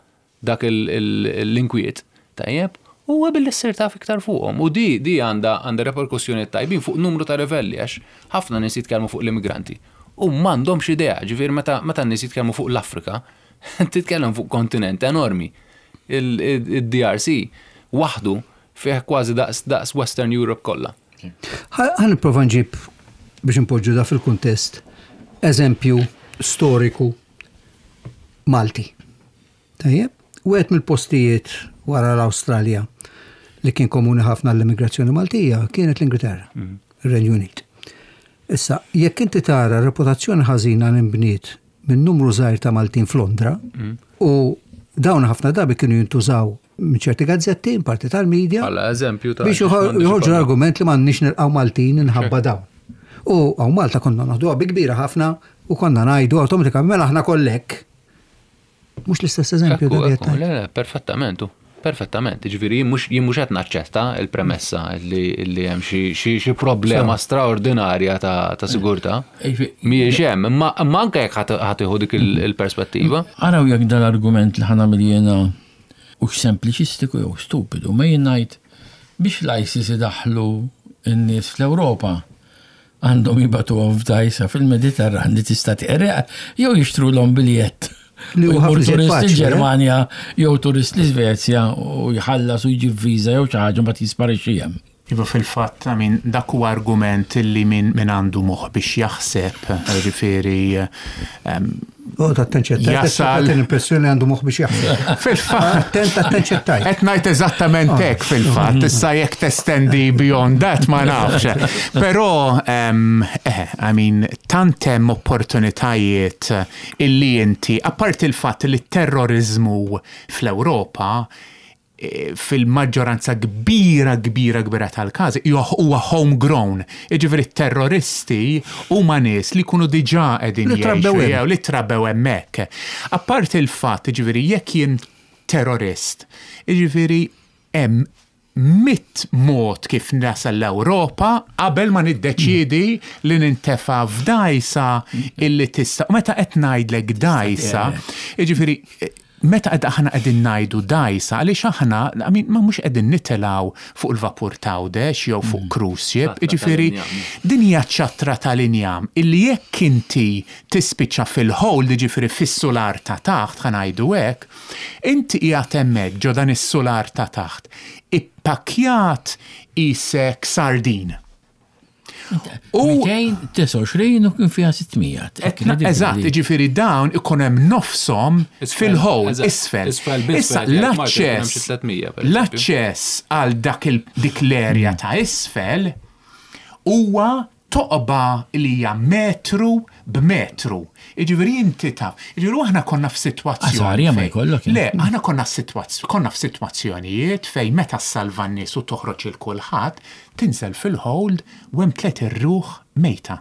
dak l-inkwiet, tajjeb, huwa billi ssir taf iktar fuqhom. U di di għandha għandha reperkussjoni tajbin fuq numru ta' livelli, għax ħafna nies jitkellmu fuq l-immigranti. U m'għandhomx idea, ġifieri meta meta n-nies jitkellmu fuq l-Afrika, titkellem fuq kontinent enormi. Il-D R C waħdu fih kważi daqs daqs Western Europe kollha. Ħa nipprova nġib, biex npoġġu da fil-kuntest, eżempju storiku Malti. Tajjeb, wieħed mill-postijiet wara l-Awstralja li kien komuni ħafna l-immigrazzjoni Maltija kienet l-Ingilterra, ir-Renju Unit. Issa, jekk inti tara reputazzjoni ħażina li nbniet minn numru żgħir ta' Maltin f'Londra, u dawn ħafna drabi kienu jintużaw minn ċerti gazzetti, in parti tal-medja, Bħala eżempju ta' biex joħorġu l-argument li m'għandniex nilqgħu Maltin inħabba dawn. U hawn Malta konna naħduha bi kbira ħafna u konna ngħidu awtomatikament, mela aħna kollek. Mhux l-istess eżempju Ekku, dak li ekku, qed le, le, perfettament, u, perfettament. Ġifieri jien mhux jien mhux qed naċċetta il-premessa li li hemm xi xi xi problema straordinarja ta' ta' sigurtà. Mhijiex hemm, imma imma anke jekk ħa tieħu dik il- il-perspettiva. Araw jekk dal-argument li ħa nagħmel jiena u sempliċistiku jew stupidu, ma jien ngħid biex l-ISIS idaħlu n-nies fl-Ewropa għandhom jibagħtuhom f'dajsa fil-Mediterran li tista' tqerreq jew jixtru l biljett. Li U huwa jmur ħafna iżjed turist faċli, eh? il-Ġermanja jew turist l-Iżvezja u jħallas u jġib viża jew xi ħaġa, mbagħad jisparixxi hemm. Iva, fil-fatt, I mean, dak huwa argument li min, min għandu moħ biex jaħseb, ġifieri, um, Oh, attent x'qed tgħid. Jasal. L-impressjoni għandu moħ biex jaħseb. Fil-fatt, Attent, attent x'qed tgħid. qed ngħid eżattament hekk fil-fatt, issa jekk testendi beyond that ma nafx. Però, um, eh, I mean, tant hemm opportunitajiet illi inti, apart il-fatt li terrorizmu fl-Ewropa eh, fil-maġġoranza kbira, kbira, kbira tal-każi huwa homegrown. Jiġifieri terroristi huma nies li jkunu diġà qegħdin Li trabbew jgħixu hemm. jew li trabbew hemmhekk. Apart il-fatt, jiġifieri jekk jien terrorist, jiġifieri hemm mitt mod kif nasal l-Ewropa qabel ma niddeċiedi li nintefa f'dajsa illi tista'. U meta qed ngħidlek dajsa, jiġifieri meta qed aħna qegħdin ngħidu dajsa, għaliex aħna, I mean, ma mhux qegħdin nitilgħu fuq il-vapur t'Għawdex jew fuq cruise ship, Ċatra jiġifieri tal-injam. din hija ċatra tal-injam illi jekk inti tispiċċa fil-hold, jiġifieri fis-sular ta' taħt, ħa ngħidu hekk, inti qiegħed hemmhekk ġo dan is-sular ta' taħt, ippakjat isek sardin. U mitejn u disgħa u għoxrin u kien fiha sitt mija. Eżatt, jiġifieri dawn ikun hemm nofshom Isfel, fil-hold, eżatt, isfel. Isfel biss, Issa per eżempju, Malta jkun hemm xi l-aċċess tliet mija, per eżempju. l-aċċess għal dak il dik l-erja ta' isfel huwa toqba li hija metru b'metru. Jiġifieri inti taf. Jiġifieri aħna konna f'sitwazzjoni. Għażarja ma fejn- jkollok, Le, aħna konna f'sitwazz- konna f'sitwazzjonijiet fejn meta ssalva n-nies u toħroġ il kulħadd, tinżel fil-hold u hemm tliet irruħ mejta.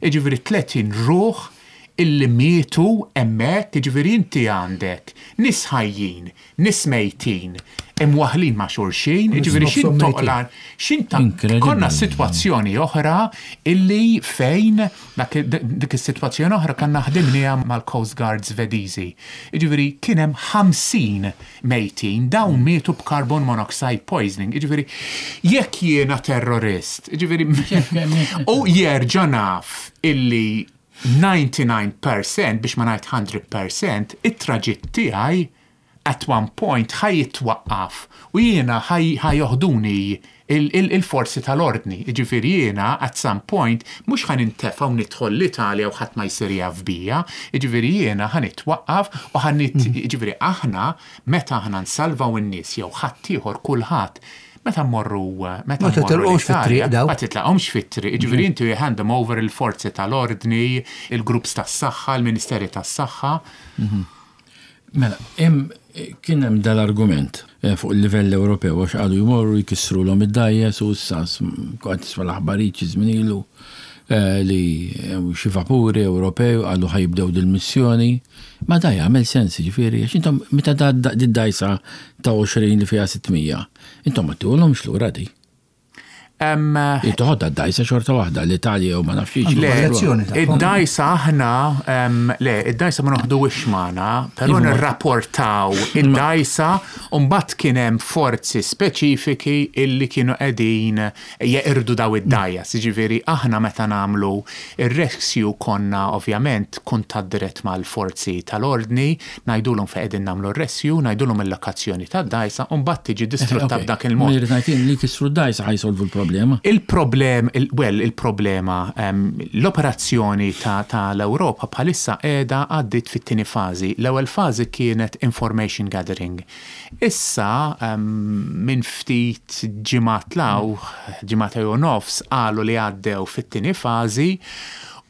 Jiġifieri tletin ruħ illi mietu hemmhekk, jiġifieri inti għandek nies ħajjin, nies mejtin, imwaħlin ma' xulxin, jiġifieri xin nofshom mejtin. toqlan, xin ta' Incredible. konna situazzjoni oħra illi fejn dak dik is-sitwazzjoni oħra kanna ħdimniha mal-Coast Guard Svediżi. Jiġifieri kien hemm ħamsin mejtin, dawn mietu b'carbon monoxide poisoning. Jiġifieri jekk jiena terrorist, jiġifieri u jerġa' naf illi disgħa u disgħin fil-mija, biex ma ngħid mija fil-mija, it-traġitt tiegħi at one point ħa jitwaqqaf u jiena ħa joħduni il-forzi tal-ordni. Jiġifieri jiena at some point mhux ħa nintefa' u nidħol l-Italja u ħadd ma jsir jaf bija, jiġifieri jiena ħa nitwaqqaf u ħa nit jiġifieri aħna meta aħna nsalvaw in-nies jew ħadd ieħor, kulħadd, meta mmorru meta Ma mmorru titilqux fit-triq l-Italja, daw. ma titlaqhomx fit-triq, jiġifieri inti you hand them over il-forzi tal-ordni, il-groups tas-saħħa, il-Ministeri tas-Saħħa. Mela, hemm kien hemm dal-argument eh, fuq il-livell Ewropew għax qalu jmorru jkissru l id-dajjes u s-sas kont tisma' l-aħbarijiet xi żmien ilu eh, li hemm xi vapuri Ewropew qalu ħa jibdew dil-missjoni. Ma da jagħmel sens, ġifieri, għax intom meta da dajsa ta' għoxrin li fiha sitt mija, intom ma tihulhomx lura di. Em, Toħodha d-dajsa xorta waħda, l-Italja u ma nafx. Le, Kollezzjoni tagħhom. id-dajsa aħna, em, le, id-dajsa ma noħduhiex magħna, però nirrapportaw id-dajsa u mbagħad kien hemm forzi speċifiki illi kienu qegħdin jeqirdu daw id-dgħajjes. Jiġifieri aħna meta nagħmlu ir-rescue konna ovvjament kuntatt dirett mal-forzi tal-ordni, ngħidulhom fejn qegħdin nagħmlu r-rescue, ngħidulhom il-lokazzjoni tad-dajsa, u mbagħad tiġi distrutta b'dak il-mod. Irrid ngħid li kisru d-dajsa ħa jsolvu l-problema. Il-problem, il, well, il-problema, um, l-operazzjoni ta', ta l-Europa bħalissa qiegħda għaddit fit-tieni fażi. L-ewwel fażi kienet information gathering. Issa, um, minn ftit ġimgħat law, ġimgħat jew nofs, qalu li għaddew fit-tieni fażi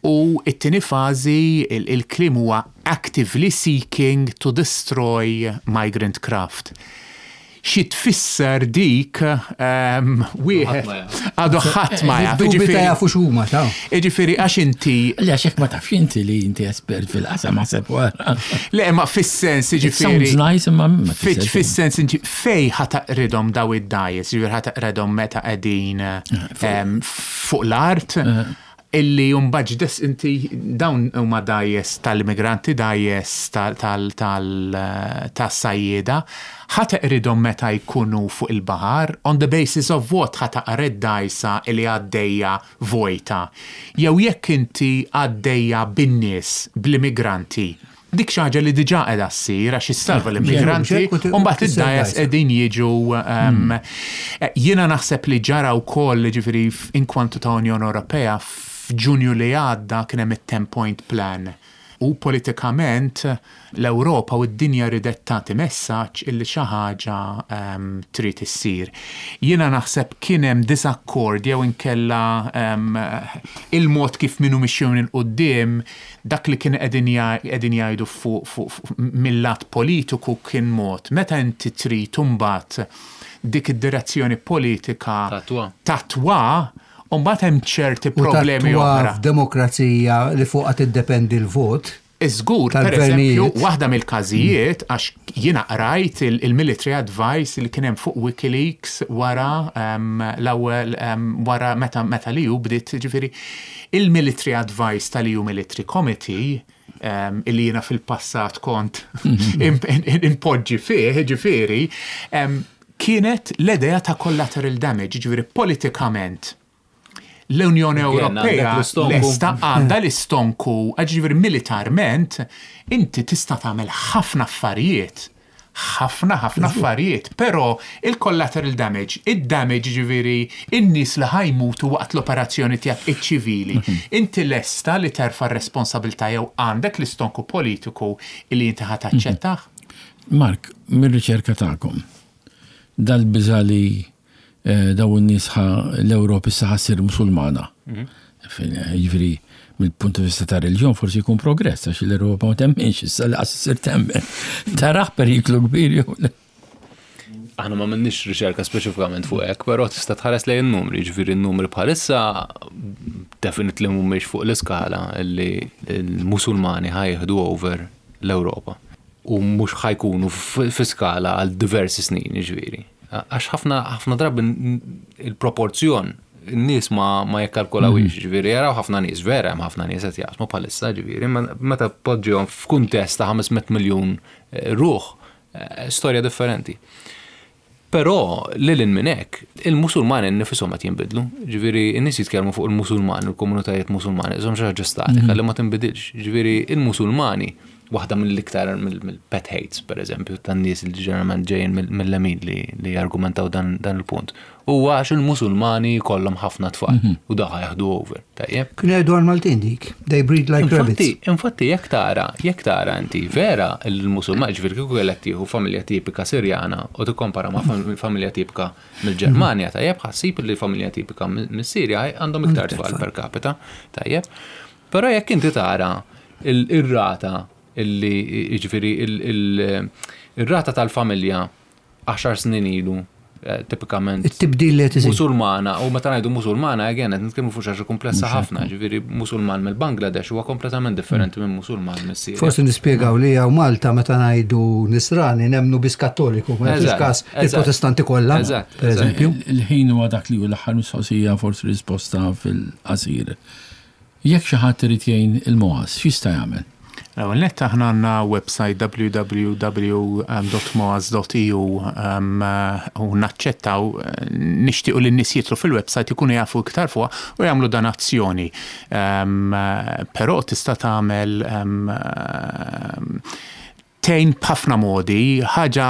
u it-tieni fażi il- il-kliem huwa actively seeking to destroy migrant craft. Xi tfisser dik um, wieħed ma jaf. għadu ħadd ma jaf. Dubbi ta' Jiġifieri- jafu x'huma ta' Jiġifieri għax inti Le, għax hekk ma tafx inti li inti espert fil-qasam ħaseb wara. le ma fis-sens It jiġifieri sounds nice imma ma Fi- tfisser xejn. Fis-sens inti fej ħa taqridhom daw id-dgħajjes, jiġifieri ħa taqridhom meta qegħdin em, fuq l-art illi jumbaġ des inti dawn huma dgħajjes tal-immigranti, dgħajjes tas-sajjieda, ħa teqridhom meta jkunu fuq il-baħar, on the basis of what ħa taqred dgħajsa illi għaddejja vojta. Jew jekk inti għaddejja bin-nies, bl-immigranti, dik xi ħaġa li diġà qiegħda ssir għax issalva l-immigranti u mbagħad id-dgħajjes qegħdin jiġu um, jiena naħseb li ġara wkoll ġifieri inkwantu ta' Unjoni Ewropea f'Ġunju li għadda kien hemm it-ten point plan. U politikament l-Ewropa u d-dinja ridet tagħti messaġġ illi xi ħaġa um, trid issir. Jiena naħseb kien hemm disakkord jew inkella um, il-mod kif minnu mixjun 'il quddiem dak li kien qegħdin qegħdin jgħidu fuq fu, fu, mill-lat politiku kien mod. Meta inti trid imbagħad dik id-direzzjoni politika Tatwa. tatwa, u mbagħad hemm ċerti U problemi tatwa oħra. f'demokrazija li fuqha tiddependi l-vot. Iżgur, per Tal-gvernijiet. eżempju, waħda mill-każijiet, għax jiena qrajt il- il-military advice li kien hemm fuq WikiLeaks wara um, l-ewwel um, wara meta meta li ju bdiet ġifieri il-military advice tal-E U Military Committee um, illi jiena fil-passat kont impoġġi fih, ġifieri, um, kienet l-idea ta' collateral damage, ġifieri politikament l-Unjoni Again, Ewropea għandek l-istonku. lesta għandha l-istonku, ġifieri militarment, inti tista' tagħmel ħafna affarijiet. Ħafna, ħafna affarijiet, però il-collateral damage, il-damage ġifieri in-nies li ħa jmutu waqt l-operazzjoni tiegħek iċ-ċivili, inti lesta li terfa' r-responsabilità jew għandek l-istonku politiku li inti ħa taċċettah? Mark, mir-riċerka tagħkom, dal-biża li eh, daw in-nies ħa l-Ewropa issa ħa ssir Musulmana. Fejn, Jiġifieri mill-punt di vista ta' reliġjon forsi jkun progress għax l-Ewropa ma temminx issa li ssir temmen. Taraħ periklu kbir jew le? Aħna ma minnix riċerka speċifikament fuq hekk, però tista' tħares lejn in-numri, ġifieri n-numri bħalissa definitely mhumiex fuq l-iskala li l-Musulmani ħa jieħdu over l-Ewropa. U mhux ħa jkunu f- fi skala għal diversi snin, ġifieri. Għax ħafna ħafna drabi n- il-proporzjon n-nies ma, ma jikkalkulawix, ġifieri, jaraw ħafna nies, vera hemm ħafna nies qed jaqsmu bħalissa, ġifieri, ma meta poġġihom f'kuntest ta' ħames mitt miljun eh, ruħ, eh, storja differenti. Però lil minn hekk, il-Musulmani nifishom qed jinbidlu. Ġifieri n-nies jitkellmu fuq il-Musulmani, il-komunitajiet Musulmani, iżhom xi ħaġa statika li ma tinbidilx. Ġifieri il-Musulmani waħda mill-iktar mill-pet hates, per eżempju, tan-nies li ġeneralment ġejjin mill-lemin li, li jargumentaw dan, dan il-punt. Huwa għax il-Musulmani kollhom ħafna tfal u daħ jaħdu over. Tajjeb. Kienu jgħidu għal-Maltin dik. They breed like Infatti, rabbits. infatti jekk tara, jekk tara inti vera il-Musulman, ġifieri kieku kellek tieħu familja tipika Sirjana u tikkompara ma' fam- familja tipika mill-Ġermanja, tajjeb ħa ssib li familja tipika mis-Sirja għandhom iktar tfal per capita, tajjeb. Però jekk inti tara il- ir-rata illi ġifieri il- il- ir-rata tal-familja għaxar snin ilu eh, tipikament It-tibdil li qed isir. Musulmana, u meta ngħidu Musulmana, again, qed nitkellmu fuq xi ħaġa komplessa ħafna, ġifieri Musulman mill-Bangladesh huwa kompletament differenti minn Musulman mis-Sirja. Forsi nispjegaw li hawn Malta meta ngħidu Nisrani nemmnu biss Kattoliku, ma nagħtux Eżatt, każ eżatt. il-Protestanti kollha, Eżatt, per eżempju. Il-ħin huwa dak li hu l-aħħar mistoqsija, forsi risposta fil-qasir. Jekk xi ħadd irid jgħin il-M O A S, x'jista' jagħmel? L-ewwel nett aħna għandna website W W W dot moas dot E U um, eh, u naċċettaw, eh, nixtiequ li n-nies jidħlu fil-website, ikunu jafu iktar fuqha u jagħmlu donazzjoni. Um, eh, Però tista' tagħmel um, um, tgħin b'ħafna modi, ħaġa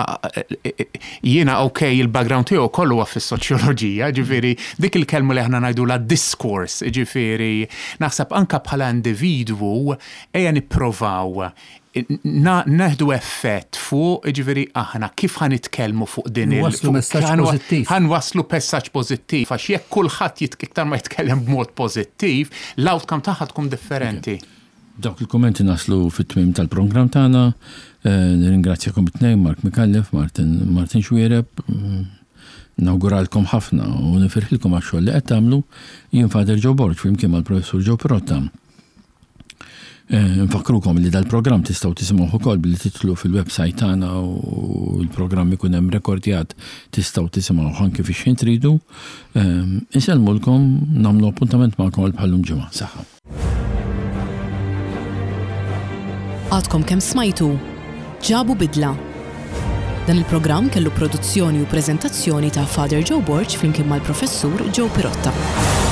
jiena, ok, il-background tiegħu kollu huwa fis-soċjoloġija, ġifieri dik il-kelma li aħna ngħidu la discourse, ġifieri naħseb anka bħala individwu ejja nipprovaw na- neħdu effett fuq, ġifieri aħna kif ħa nitkellmu fuq din il- Nwasslu fuq- messaġġ ħan- pożittiv. ħa nwasslu messaġġ pożittiv, għax jekk kulħadd jit- iktar ma jitkellem b'mod pożittiv, l-outcome tagħha tkun differenti. Dawk il-kommenti naslu fit-tmim tal-programm tagħna. Eh, Nirringrazzjakom it-tnejn, Mark Micallef, Martin Martin Xuereb. Mm, Nawguralkom ħafna u nifirħilkom għax-xogħol li qed tagħmlu. Jien Father Joe Borg flimkien mal-Professur Joe Pirotta. Eh, Nfakkrukom li dal-programm tistgħu tisimgħuh ukoll billi tidħlu fil-website tagħna u l-programm ikun hemm rekordjat, tistgħu tisimgħuh anke fi xħin tridu. Eh, Insellmulkom, nagħmlu appuntament magħkom għal bħal-lum ġimgħa. Saħħa. Għadkom kemm smajtu Ġabu Bidla. Dan il-programm kellu produzzjoni u preżentazzjoni ta' Father Joe Borg flimkien mal-Professur Joe Pirotta.